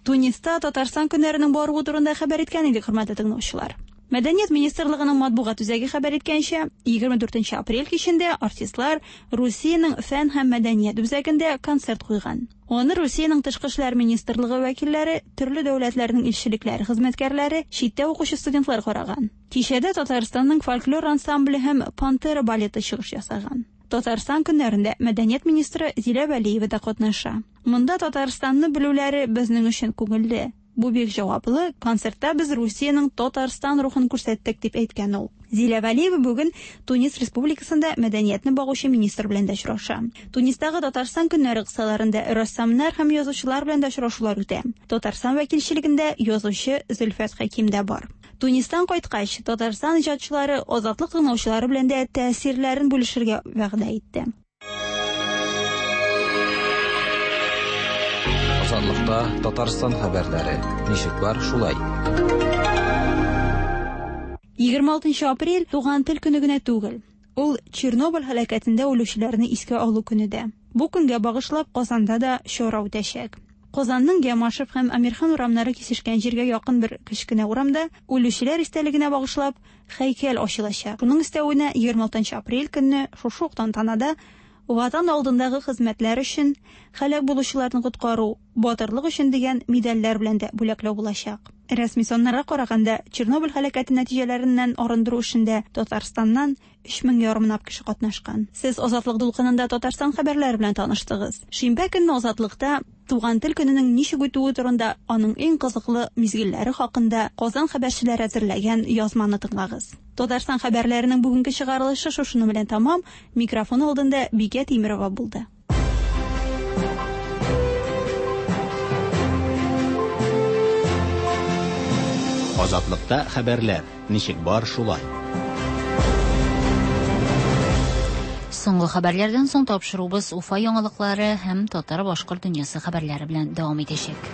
Туниста Татарстан көннәренең баруы турында хәбәр иткән идек, хөрмәтле тыңлаучылар. Мәдәният министрлыгының матбугат үзәге хәбәр иткәнчә, 24 апрель кичендә артистлар Русиянең фән һәм мәдәният үзәгендә концерт куйган. Аны Русиянең тышкы эшләр министрлыгы вәкилләре, төрле дәүләтләрнең илчелекләре хезмәткәрләре, читтә укучы студентлар караган. Кичәдә Татарстанның фольклор ансамбле һәм Пантера балеты чыгыш ясаган. Татарстан көннәрендә мәдәният министры Зилә Вәлиева да катнаша. Монда Татарстанны белүләре безнең өчен күңелле. Бу бик җаваплы, концертта без Русиянең Татарстан рухын күрсәттек, дип әйткән ул. Зилә Вәлиева бүген Тунис Республикасында мәдәниятне багучы министр белән дә очраша. Тунистагы Татарстан көннәре кысаларында рәссамнар һәм язучылар белән дә очрашулар үтә. Татарстан вәкилчелегендә язучы Зөлфәт Хәким дә бар. Тунистан кайткач, Татарстан иҗатчылары Азатлык тыңлаучылары белән дә тәэсирләрен бүлешергә вәгъдә итте. Азатлыкта Татарстан хәбәрләре. Ничек бар, шулай. 26 апрель туган тел көне генә түгел. Ул Чернобыль һәлакәтендә үлүчеләрне искә алу көне дә. Бу көнгә багышлап Казанда да чара үтәчәк. Казанның Ямашев һәм Әмирхан урамнары кисешкән җиргә якын бер кечкенә урамда үлүчеләр истәлегенә багышлап һәйкәл ачылачак. Шуның өстәвенә 26 апрель көнне шушы ук тантанада Ватан алдындагы хезмәтләр өчен, һәлак булучыларны коткару, батырлык өчен дигән медальләр белән дә бүләкләү булачак. Рәсми саннарга караганда, Чернобыль һәлакәте нәтиҗәләреннән арындыру эшендә Татарстаннан 3 мең ярымлап кеше катнашкан. Сез Азатлык дулкынында Татарстан хәбәрләре белән таныштыгыз. Шимбә көнне Азатлыкта Туган тел көненең ничек үтүе турында, аның иң кызыклы мизгелләре хакында Казан хәбәрчеләре әзерләгән язманы тыңлагыз. Татарстан хәбәрләренең бүгенге чыгарылышы шушының белән тәмам. Микрофон алдында Бикә Тимерова булды. Азатлыкта хәбәрләр ничек бар шулай. Соңгы хәбәрләрдән соң тапшыруыбыз Уфа яңалыклары һәм татар-башкорт дөньясы хәбәрләре белән дәвам итәчәк.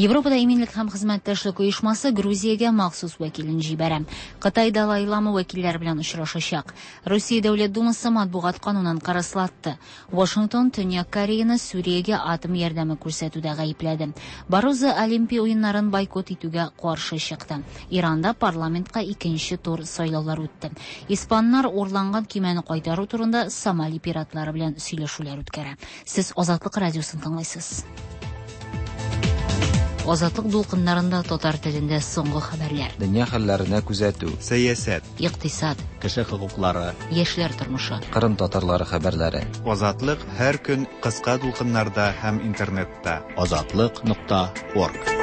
Европада иминлек һәм хезмәттәшлек оешмасы Грузиягә махсус вәкилен җибәрә. Кытай Далай Лама вәкилләре белән очрашачак. Русия Дәүләт Думасы матбугат канунын кырыслатты. Вашингтон Төньяк Кореяны Сүриягә атом ярдәме күрсәтүдә гаепләде. Барозо Олимпия уеннарын бойкот итүгә каршы чыкты. Иранда парламентка икенче тур сайлаулар үтте. Испаннар урланган көймәне кайтару турында Сомали пиратлары белән сөйләшүләр үткәрә. Сез Азатлык радиосын тыңлыйсыз. Азатлык дулкыннарында татар телендә соңгы хәбәрләр. Дөнья хәлләренә күзәтү. Сәясәт. Икътисад. Кеше хокуклары. Яшьләр тормышы. Кырым татарлары хәбәрләре. Азатлык һәр көн кыска дулкыннарда һәм интернетта. Азатлык.орг.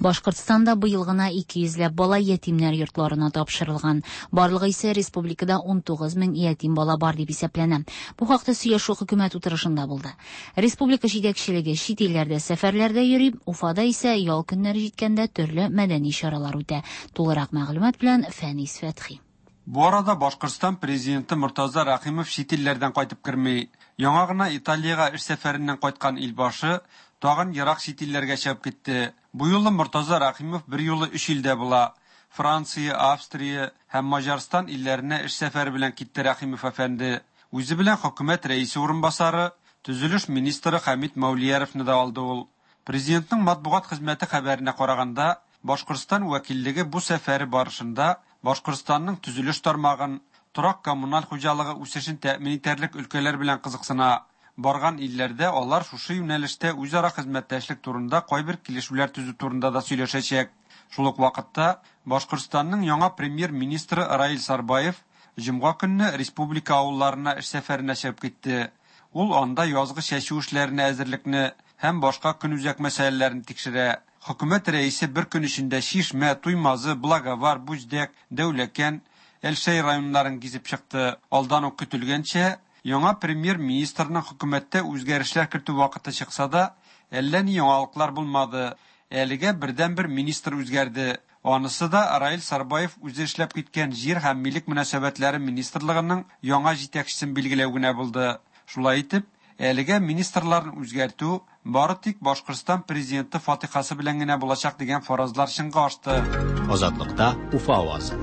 Башкортстанда быел гына 200 ләп бала ятимнәр йортларына тапшырылган. Барлыгы исә республикада 19 мең ятим бала бар дип исәпләнә. Бу хакта сөйләшү хөкүмәт утырышында булды. Республика җитәкчелеге чит илләрдә сәфәрләрдә йөри, Уфада исә ял көннәре җиткәндә төрле мәдәни чаралар үтә. Тулырак мәгълүмат белән Фәнис Фәтхи. Бу арада Башкортстан президенты Мортаза Рәхимов чит илләрдән кайтып керми. Яңа гына Италиягә эш сәфәреннән кайткан илбашы тагын ерак чит илләргә чыгып китте. Бу юлы Мортаза Рәхимов берьюлы өч илдә була. Франция, Австрия һәм Маҗарстан илләренә эш сәфәре белән китте Рәхимов әфәнде. Үзе белән хөкүмәт рәисе урынбасары, төзелеш министры Хәмит Мәүлияровны да алды ул. Президентның матбугат хезмәте хәбәренә караганда, Башкортстан вәкиллеге бу сәфәре барышында Башкортстанның төзелеш тармагын, торак-коммуналь хуҗалыгы үсешен тәэмин итәрлек өлкәләр белән кызыксына. Барган илләрдә алар шушы юнәлештә үзара хезмәттәшлек турында кайбер килешүләр төзү турында да сөйләшәчәк. Шул ук вакытта Башкортстанның яңа премьер-министры Раил Сарбаев җомга көнне республика авылларына эш сәфәренә чыгып китте. Ул анда язгы чәчү эшләренә әзерлекне һәм башка көнүзәк мәсьәләләрне тикшерә. Хөкүмәт рәисе бер көн эчендә Чишмә, Туймазы, Благовар, Бүздәк, Дәүләкән, Әлшәй районнарын гизеп чыкты. Алдан ук көтелгәнчә, яңа премьер-министрның хөкүмәттә үзгәрешләр кертү вакыты чыкса да, әллә ни яңалыклар булмады. Әлегә бердәнбер министр үзгәрде. Анысы да Раил Сарбаев үзе эшләп киткән Җир һәм милек мөнәсәбәтләре министрлыгының яңа җитәкчесен билгеләү генә булды. Шулай итеп, әлегә министрларны үзгәртү бары тик Башкортстан президенты фатихасы белән генә булачак дигән фаразлар чынга ашты. Азатлыкта Уфа авазы.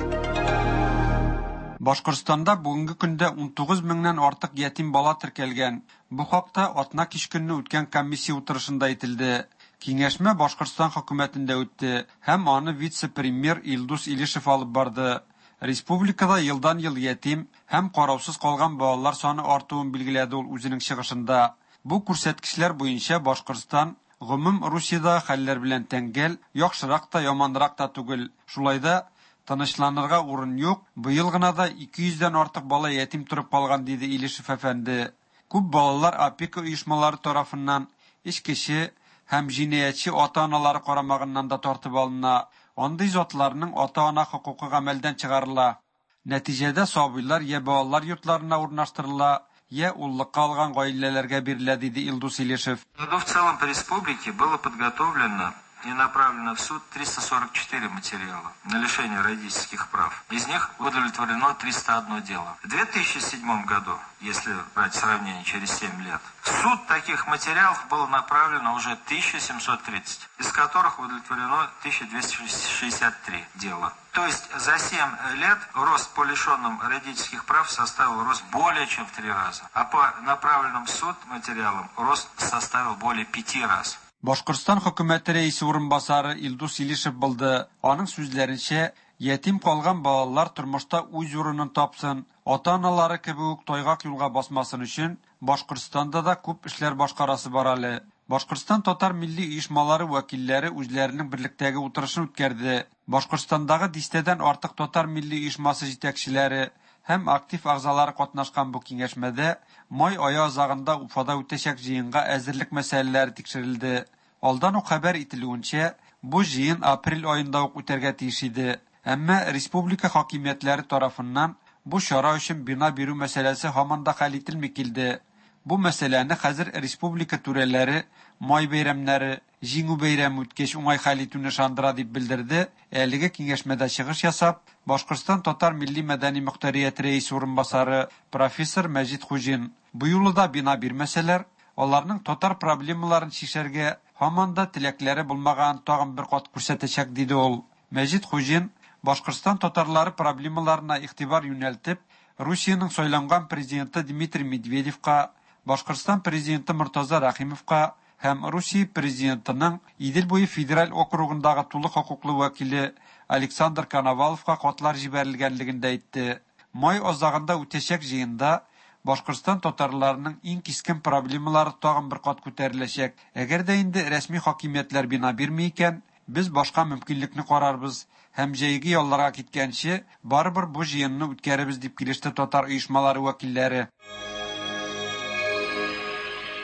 Башкортстанда бүгенге көндә 19 меңнән артык ятим бала теркәлгән. Бу хакта атна кич көнне үткән комиссия утырышында әйтелде. Киңәшмә Башкортстан хөкүмәтендә үтте һәм аны вице-премьер Илдус Илишев алып барды. Республикада елдан-ел ятим һәм караусыз калган балалар саны артуын билгеләде ул үзенең чыгышында. Бу күрсәткечләр буенча Башкортстан гомум Русиядәге хәлләр белән тәңгәл, яхшырак та, яманрак та түгел. Шулай да тынычланырга урын юк, быел гына да 200 дән артык бала ятим торып калган, диде Илишев әфәнде. Күп балалар опека оешмалары тарафыннан, эчкече һәм җинаятьче ата-аналары карамагыннан да тартып алына. Андый затларның ата-ана хокукы гамәлдән чыгарыла. Нәтиҗәдә сабыйлар я балалар йортларына урнаштырыла, я уллыкка алган гаиләләргә бирелә, диде Илдус Илишев. В целом по республике было подготовлено и направлено в суд 344 материала на лишение родительских прав. Из них удовлетворено 301 дело. В 2007 году, если брать сравнение через 7 лет, в суд таких материалов было направлено уже 1730, из которых удовлетворено 1263 дела. То есть за 7 лет рост по лишенным родительских прав составил рост более чем в 3 раза, а по направленным в суд материалам рост составил более 5 раз. Башкортстан хөкүмәте рәисе урынбасары Илдус Илишев булды. Аның сүзләренчә, ятим калган балалар тормышта үз урынын тапсын, ата-аналары кебек үк тайгак юлга басмасын өчен Башкортстанда да күп эшләр башкарасы бар әле. Башкортстан татар милли оешмалары вәкилләре үзләренең берлектәге утырышын үткәрде. Башкортстандагы дистәдән артык татар милли оешмасы җитәкчеләре һәм актив әгъзалары катнашкан бу киңәшмәдә май ае азагында Уфада үтәчәк җыенга әзерлек мәсьәләләре тикшерелде. Алдан ук хәбәр ителүенчә, бу җыен апрель аенда ук үтәргә тиеш иде. Әмма республика хакимиятләре тарафыннан бу чара өчен бина бирү мәсьәләсе һаман да хәл ителми килде. Бу мәсьәләне хәзер республика түрәләре май бәйрәмнәре, Җиңү бәйрәме үткәч уңай хәл итүне ышандыра дип белдерде әлеге киңәшмәдә чыгыш ясап, Башкортстан татар милли-мәдәни мохтарияте рәисе урынбасары профессор Мәҗит Хуҗин. Бу юлы да бина бирмәсәләр, аларның татар проблемаларын чишәргә һаман да теләкләре булмаганын тагын бер кат күрсәтәчәк, диде ул. Мәҗит Хуҗин Башкортстан татарлары проблемаларына игътибар юнәлтеп, Русиянең сайланган президенты Дмитрий Медведевка, Башкортстан президенты Мортаза Рәхимовка һәм Русия президентының Идел буе федераль округындагы тулы хокуклы вәкиле Александр Коноваловка хатлар җибәрелгәнлеген дә әйтте. Май азагында үтәчәк җыенда Башкортстан татарларының иң кискен проблемалары тагын бер кат күтәреләчәк. Әгәр дә инде рәсми хакимиятләр бина бирми икән, без башка мөмкинлекне карарбыз һәм җәйге ялларга киткәнче барыбер бу җыенны үткәрербез, дип килеште татар оешмалары вәкилләре.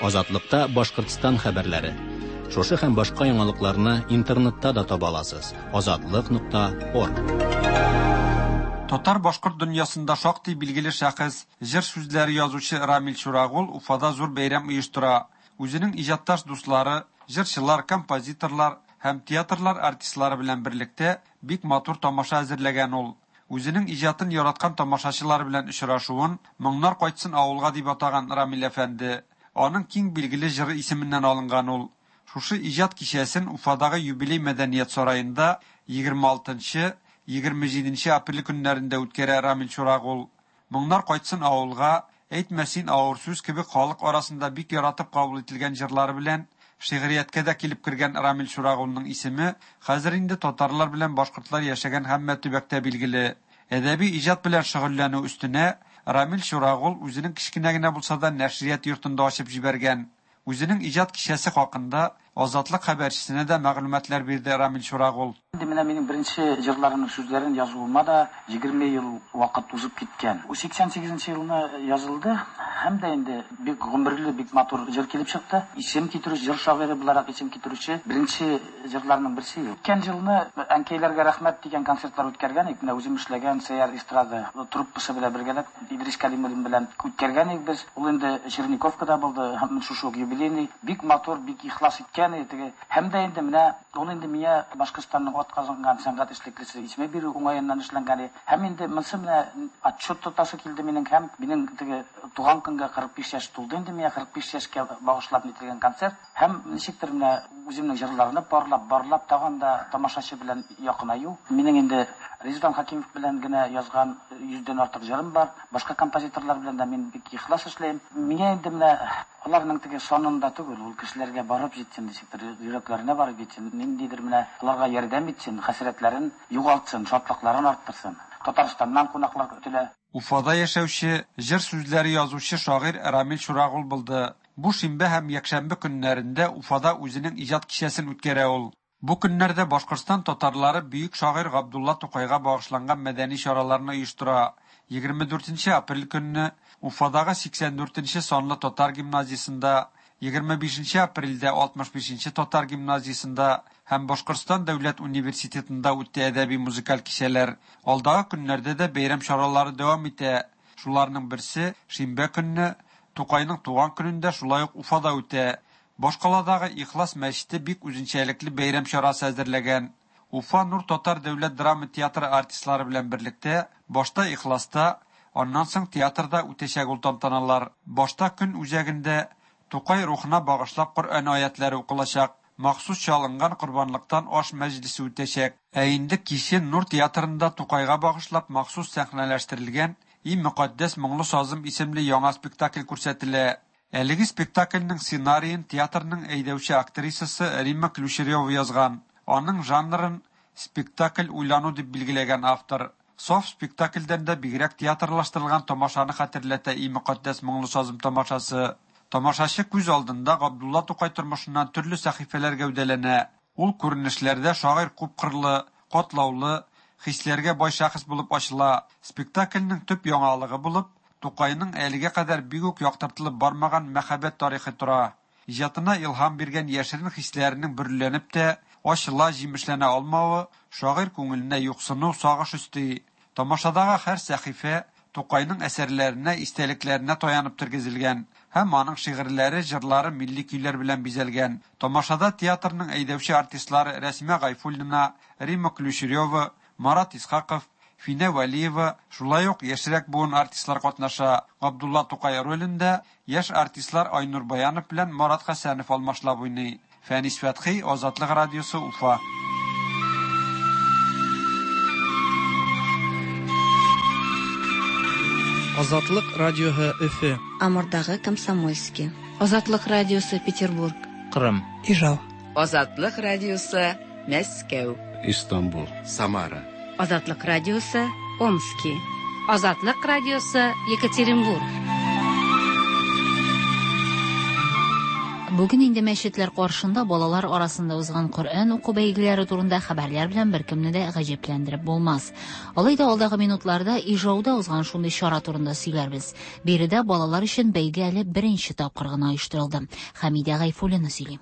Азатлыкта Башкортстан хәбәрләре. Шушы һәм башка яңалыкларны интернетта да таба аласыз. Азатлык.орг. Татар-башкорт дөньясында шактый билгеле шәхес, җыр сүзләре язучы Рамил Чурагул Уфада зур бәйрәм оештыра. Үзенең иҗатташ дуслары, җырчылар, композиторлар һәм театрлар артистлары белән берлектә бик матур тамаша әзерләгән ул. Үзенең иҗатын яраткан тамашачылары белән очрашуын Моңнар кайтсын авылга дип атаган Рамил әфәнде. Аның киң билгеле җыры исеменнән алынган ул. Шушы иҗат кичәсен Уфадагы Юбилей мәдәният сараенда 26 нчы, 27 нче апрель көннәрендә үткәрә Рамил Чурагул. Моңнар кайтсын авылга, Әйтмә син авыр сүз кебек халык арасында бик яратып кабул ителгән җырлары белән шигърияткә дә килеп кергән Рамил Чурагулның исеме хәзер инде татарлар белән башкортлар яшәгән һәммә төбәктә билгеле. Әдәби иҗат белән шөгыльләнү өстенә, Рамил Чурагул үзенең кечкенә генә булса да нәшрият йортын да ачып җибәргән. Үзенең иҗат кичәсе хакында Азатлык хәбәрчесенә дә мәгълүматлар бирде Рамил Чурагул. Инде менә минем беренче җырларымның сүзләрен язуыма да 20 ел вакыт узып киткән. 88 нче елны язылды һәм дә инде бик гомерле, бик матур җыр килеп чыкты. Исем китерүче, җыр шагыйре буларак исем китерүче беренче җырларның берсе. Үткән елны Әнкәйләргә рәхмәт дигән концертлар үткәргән идек. Менә үзем эшләгән Сәяр эстрада труппасы белән бергәләп Идрис Кәлимуллин белән үткәргән идек без. Ул инде Черниковкада булды һәм шушы ук юбилейный. Бик матур, бик ихлас иткән иде теге. Һәм дә инде менә ул инде миңа Башкортстанның атказанган сәнгать эшлеклесе исеме бирү уңаеннан эшләнгән иде. Һәм инде монсы менә отчет тотасы килде минем һәм минем теге туган көнгә 45 яшь тулды инде миңа 45 яшькә багышлап нителгән концерт. Һәм ничектер менә үземнең җырларны парлап, барлап тагын да тамашачы белән якынаю. Минем инде Ризван Хәкимов белән генә язган йөздән артык җырым бар. Башка композиторлар белән дә мин бик ихлас эшләйм. Миңа инде менә аларның теге санында түгел, ул кешеләргә барып җитсен, ничектер, йөрәкләренә барып җитсен, ниндидер менә аларга ярдәм итсен, хәсрәтләрен югалтсын, шатлыкларын арттырсын. Татарстаннан кунаклар көтелә. Уфада яшәүче, җыр сүзләре язучы шагыйрь Рамил Чурагул булды. Бу шимбә һәм якшәмбе көннәрендә Уфада үзенең иҗат кичәсен үткәрә ул. Бу көннәрдә Башкортстан татарлары бөек шагыйрь Габдулла Тукайга багышланган мәдәни чараларны оештыра. 24 нче апрель көнне Уфадагы 84 нче санлы татар гимназиясендә, 25 нче апрельдә 65 нче татар гимназиясендә һәм Башкортстан дәүләт университетында үтте әдәби-музыкаль кичәләр. Алдагы көннәрдә дә бәйрәм чаралары дәвам итә. Шуларның берсе, шимбә көнне, Тукайның туган көнендә шулай ук Уфада үтә. Башкаладагы Ихлас мәчете бик үзенчәлекле бәйрәм чарасы әзерләгән. Уфа Нур татар дәүләт драма театры артистлары белән берлектә башта Ихласта, аннан соң театрда үтәчәк ул тантаналар. Башта көн үзәгендә Тукай рухына багышлап Коръән аятьләре укылачак, махсус чалынган корбанлыктан аш мәҗлесе үтәчәк. Ә инде кичен Нур театрында Тукайга багышлап махсус сәхнәләштерелгән И мөкатдәс моңлы сазым исемле яңа спектакль күрсәтелә. Әлеге спектакльнең сценариен театрның әйдәүче актрисасы Римма Ключерева язган. Аның жанрын спектакль уйлану дип билгеләгән автор. Саф спектакльдән дә бигрәк театрлаштырылган тамашаны хәтерләтә И мөкатдәс моңлы сазым тамашасы. Тамашачы күз алдында Габдулла Тукай тормышыннан төрле сәхифәләр гәүдәләнә. Ул күренешләрдә шагыйрь күпкырлы, катлаулы, хисләргә бай шәхес булып ачыла. Спектакльнең төп яңалыгы булып, Тукайның әлегә кадәр бик үк яктыртылып бармаган мәхәббәт тарихы тора. Иҗатына илһам биргән яшерен хисләренең бөреләнеп тә, ачыла, җимешләнә алмавы шагыйрь күңеленә юксыну, сагыш өсти. Тамашадагы һәр сәхифә Тукайның әсәрләренә, истәлекләренә таянып тергезелгән һәм аның шигырьләре, җырлары милли көйләр белән бизәлгән. Тамашада театрның әйдәүче артистлары Рәсимә Гайфуллина, Римма Ключерева, Марат Исхаков, Финә Вәлиева, шулай ук яшьрәк буын артистлар катнаша. Габдулла Тукай ролендә яшь артистлар Айнур Баянов белән Марат Хәсәнов алмашлап уйный. Фәнис Фәтхи, Азатлык радиосы, Уфа. Азатлык радиоһы Өфе. Амурдагы Комсомольски. Азатлык радиосы Петербург. Кырым. Ижау. Азатлык радиосы Мәскәү. Истанбул. Самара. Азатлык радиосы Омски. Азатлык радиосы Екатеринбург. Бүген инде мәчетләр каршында балалар арасында узган Коръән уку бәйгеләре турында хәбәрләр белән беркемне дә гаҗәпләндереп булмас. Алай да алдагы минутларда Ижауда узган шундый чара турында сөйләрбез. Биредә балалар өчен бәйге әле беренче тапкыр гына оештырылды. Хәмидә Гайфуллина сөйли.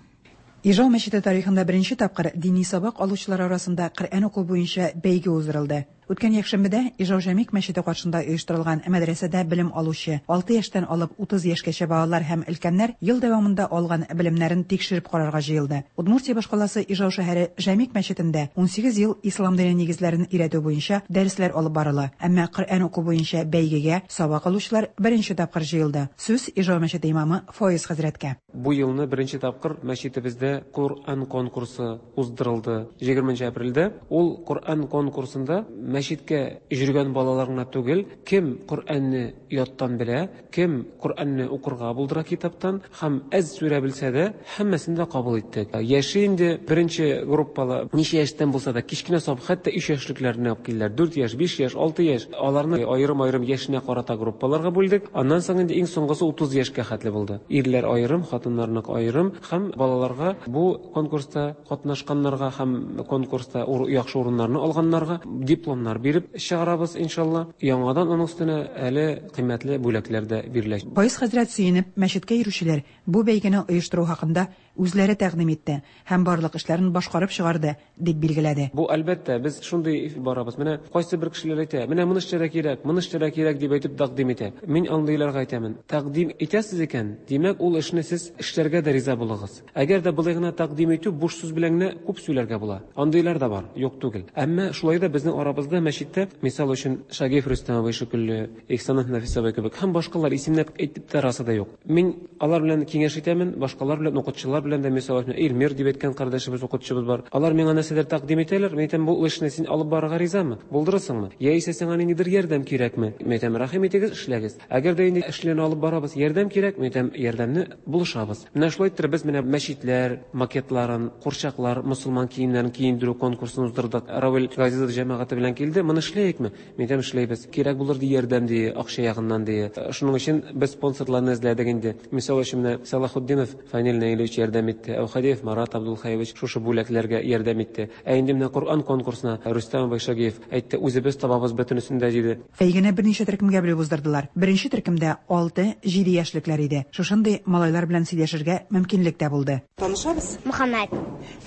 Ижау мәчете тарихында беренче тапкыр дини сабак алучылар арасында Коръән уку буенча бәйге уздырылды. Үткән якшәмбедә Ижау Җәмигъ мәчете каршында оештырылган мәдрәсәдә белем алучы 6 яшьтән алып 30 яшькәчә балалар һәм өлкәннәр ел дәвамында алган белемнәрен тикшереп карарга җыелды. Удмуртия башкаласы Ижау шәһәре Җәмигъ мәчетендә 18 ел ислам дине нигезләрен өйрәтү буенча дәресләр алып барыла. Әмма Коръән уку буенча бәйгегә сабак алучылар беренче тапкыр җыелды. Сүз Ижау мәчете имамы Фоиз хәзрәткә. Бу елны беренче тапкыр мәчетебездә Коръән конкурсы уздырылды. 20 нче апрельдә ул Коръән конкурсында мәчеткә йөргән балалар гына түгел, кем Коръәнне яттан белә, кем Коръәнне укырга булдыра китаптан һәм әз сүрә белсә дә, һәммәсен дә кабул иттек. Яше инде беренче группалы, ничә яшьтән булса да, кечкенә саб, хәтта өч яшьлекләрне алып килделәр. Дүрт яшь, биш яшь, алты яшь. Аларны аерым-аерым яшенә карата группаларга бүлдек. Аннан соң инде иң соңгысы 30 яшькә хәтле булды. Ирләр аерым, хатыннарныкы аерым һәм балаларга бу конкурста катнашканнарга һәм конкурста яхшы урыннарны алганнарга дипломнар биреп чыгарабыз, иншалла. Яңадан аның өстенә әле кыйммәтле бүләкләр дә бирелә. Фаиз хәзрәт сөенеп, мәчеткә йөрүчеләр бу бәйгене оештыру хакында үзләре тәкъдим итте һәм барлык эшләрен башкарып чыгарды, дип билгеләде. Бу, әлбәттә, без шундый барабыз. Менә кайсы бер кешеләр әйтә, менә моны эшләргә кирәк, моны эшләргә кирәк дип әйтеп тәкъдим итә. Мин андыйларга әйтәмен, тәкъдим итәсез икән, димәк, ул эшне сез эшләргә дә риза булыгыз. Әгәр дә болай гына тәкъдим итү, буш сүз белән генә күп сөйләргә була. Андыйлар да бар, юк түгел. Әмма шулай да безнең арабызда мәчеттә, мисал өчен, Шагиев Рөстәм абый шикелле, Ихсанов Нәфис абый кебек һәм башкалар исемләп әйтеп тә расы да юк. Мин алар белән киңәш итәмен, башкалар белән, укытучылар белән дә, мисал өчен, Эльмир дип әйткән кардәшебез, укытучыбыз бар. Алар миңа нәрсәдер тәкъдим итәләр, мин әйтәм, бу эшне син алып барырга ризамы? Булдырырсыңмы? Яисә сиңа ниндидер ярдәм кирәкме? Мин әйтәм, рәхим итегез, эшләгез. Әгәр дә инде эшләрне алып барабыз, ярдәм кирәк, мин әйтәм, ярдәмне булышабыз. Менә шулай иттереп без менә мәчетләр макетларын, курчаклар, мосылман киемнәрен киендерү конкурсын уздырдык. Равил Газизов җәмәгате белән килде, моны эшләекме? Мин әйтәм, эшләйбез. Кирәк булыр ди ярдәм ди, акча ягыннан ди. Шуның өчен без спонсорларны эзләдек инде. Мисал өчен менә Сәлахутдинов Фәнил Наилевич ярдәм итте, Әүхәдиев Марат Абдулхаевич шушы бүләкләргә ярдәм итте. Ә инде менә Коръән конкурсына Рөстәм абый Шагиев әйтте, үзебез табабыз бөтенесен дә, диде. Бәйгене берничә төркемгә бүлеп уздырдылар. Беренче төркемдә алты, җиде яшьлекләр иде. Шушындый малайлар белән сөйләшергә мөмкинлек тә булды. Танышабыз? Мөхәммәт.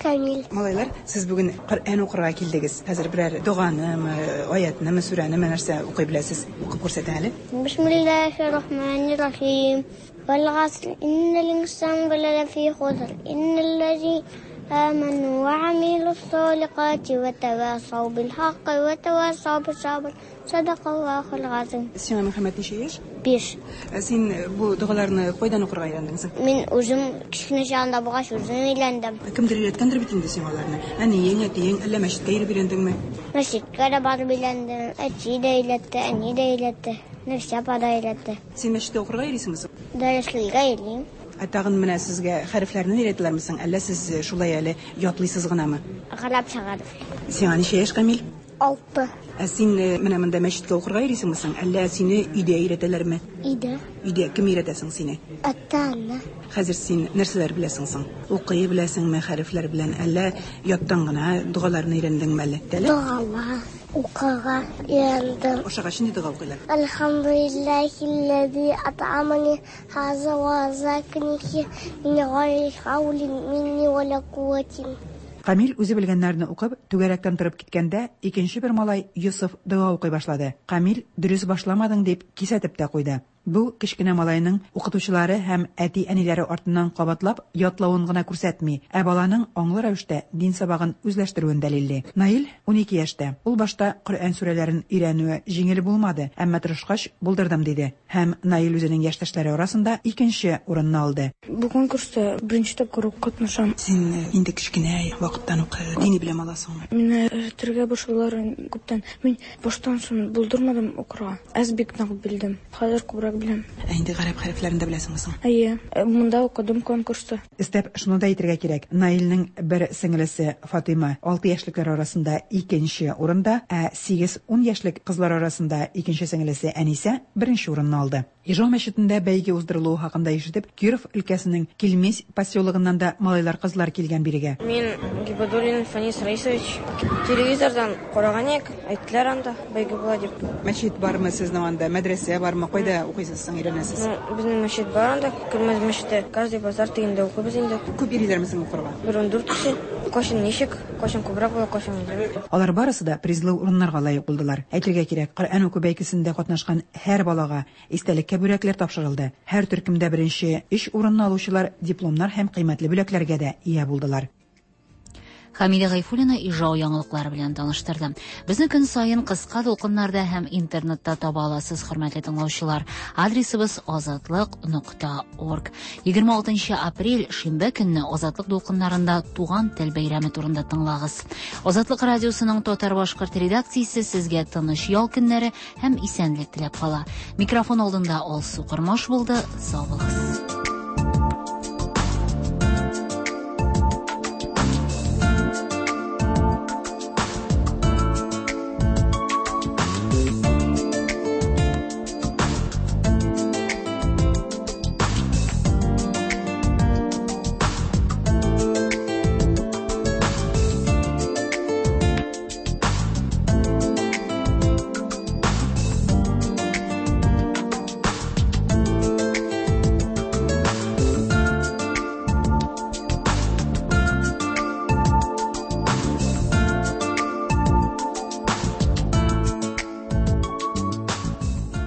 Камил. Малайлар, сез бүген Коръән укырга килдегез. Хәзер берәр доганымы, аятнымы, сүрәнеме нәрсә укый беләсез? Укып күрсәтең әле. Бисмиллаһир-рахманир-рахим. Вәл-гаср, иннәл-инсана ләфи хуср, иннәл-ләзи аману ва амилус-салихати ва тавасау бил-хакки ва тавасау бис-сабр. Садакаллахул газыйм. Сиңа, Мөхәммәт, ничә яшь? Биш. Ә син бу догаларны кайдан укырга өйрәндең соң? Мин үзем кечкенә чагында булгач, үзем өйрәндем. Кемдер өйрәткәндер бит инде сиңа аларны. Әниең, әтиең, әллә мәчеткә йөреп өйрәндеңме? Мәчеткә дә барып өйрәндем. Әти дә өйрәтте, әни дә өйрәтте, Нәфисә апа да өйрәтте. Син мәчеттә укырга йөрисеңме соң? Дәресләргә йөрим. Ә тагын менә сезгә хәрефләрне өйрәтәләрме соң, әллә сез шулай әле ятлыйсыз гынамы? Гарәпчә хәреф. Сиңа ничә яшь, Камил? Алты. Ә син менә монда мәчеткә укырга йөрисеңме соң, әллә сине өйдә өйрәтәләрме? Өйдә. Өйдә кем өйрәтә соң сине? Ата-ана. Хәзер син нәрсәләр беләсең соң? Укый беләсеңме хәрефләр белән, әллә яттан гына догаларны өйрәндеңме әле? Догалар укырга өйрәндем. Ашагач нинди дога укыйлар? Әлхәмдүлилләһилләзи ат'амани һаза ва разаканихи мин гайри хаулин минни ва ла куәтин. Камил үзе белгәннәрне укып, түгәрәктән торып киткәндә, икенче бер малай, Йосыф, дога укый башлады. Камил, дөрес башламадың, дип кисәтеп тә куйды. Бу, кечкенә малайның укытучылары һәм әти-әниләре артыннан кабатлап ятлавын гына күрсәтми, ә баланың аңлы рәвештә дин сабагын үзләштерүен дәлилли. Наил 12 яшьтә. Ул башта Коръән сүрәләрен өйрәнүе җиңел булмады, әмма тырышкач, булдырдым, диде. Һәм Наил үзенең яшьтәшләре арасында икенче урынны алды. Бу конкурста беренче тапкыр ук катнашам. Син инде кечкенә вакыттан ук дини белем аласыңмы? Мине өйрәтергә башладылар күптән. Мин баштан соң булдырмадым укырга. Әз бик нык белдем. Хәзер күбрәк беләм. Ә инде гарәп хәрефләрен дә беләсеңме соң? Әйе. Монда укыдым конкурста. Өстәп шуны да әйтергә кирәк, Наилнең бер сеңелесе Фатыйма алты яшьлекләр арасында икенче урында, ә сигез-ун яшьлек кызлар арасында икенче сеңелесе Әнисә беренче урынны алды. Ижау мәчетендә бәйге уздырылуы хакында ишетеп, Киров өлкәсенең Кильмезь поселогыннан да малайлар-кызлар килгән бирегә. Мин Гибадуллин Фәнис Раисович. Телевизордан караган идек, әйттеләр анда бәйге була дип. Мәчет бармы сезнең анда, мәдрәсә бармы, кайда укыйсыз соң, өйрәнәсез? Ну, безнең мәчет бар анда, Көлмәз мәчете. Каждый базар тегендә укыйбыз инде. Күп йөриләрме соң укырга? Бер 14 кеше. Кайчан ничек, кайчан күбрәк була, кайчан азрак. Алар барысы да призлы урыннарга лаек булдылар. Әйтергә кирәк, Коръән уку бәйгесендә катнашкан һәр балага истәлеккә бүләкләр тапшырылды. Һәр төркемдә беренче өч урынны алучылар дипломнар һәм кыйммәтле бүләкләргә дә ия булдылар. Хәмидә Гайфуллина Ижау яңалыклары белән таныштырды. Безне көн саен кыска дулкыннарда һәм интернетта таба аласыз, хөрмәтле тыңлаучылар. Адресыбыз азатлык.орг. 26 апрель шимбә көнне Азатлык дулкыннарында туган тел бәйрәме турында тыңлагыз. Азатлык радиосының татар-башкорт редакциясе сезгә тыныч ял көннәре һәм исәнлек теләп кала. Микрофон алдында Алсу Кормаш булды. Сау булыгыз.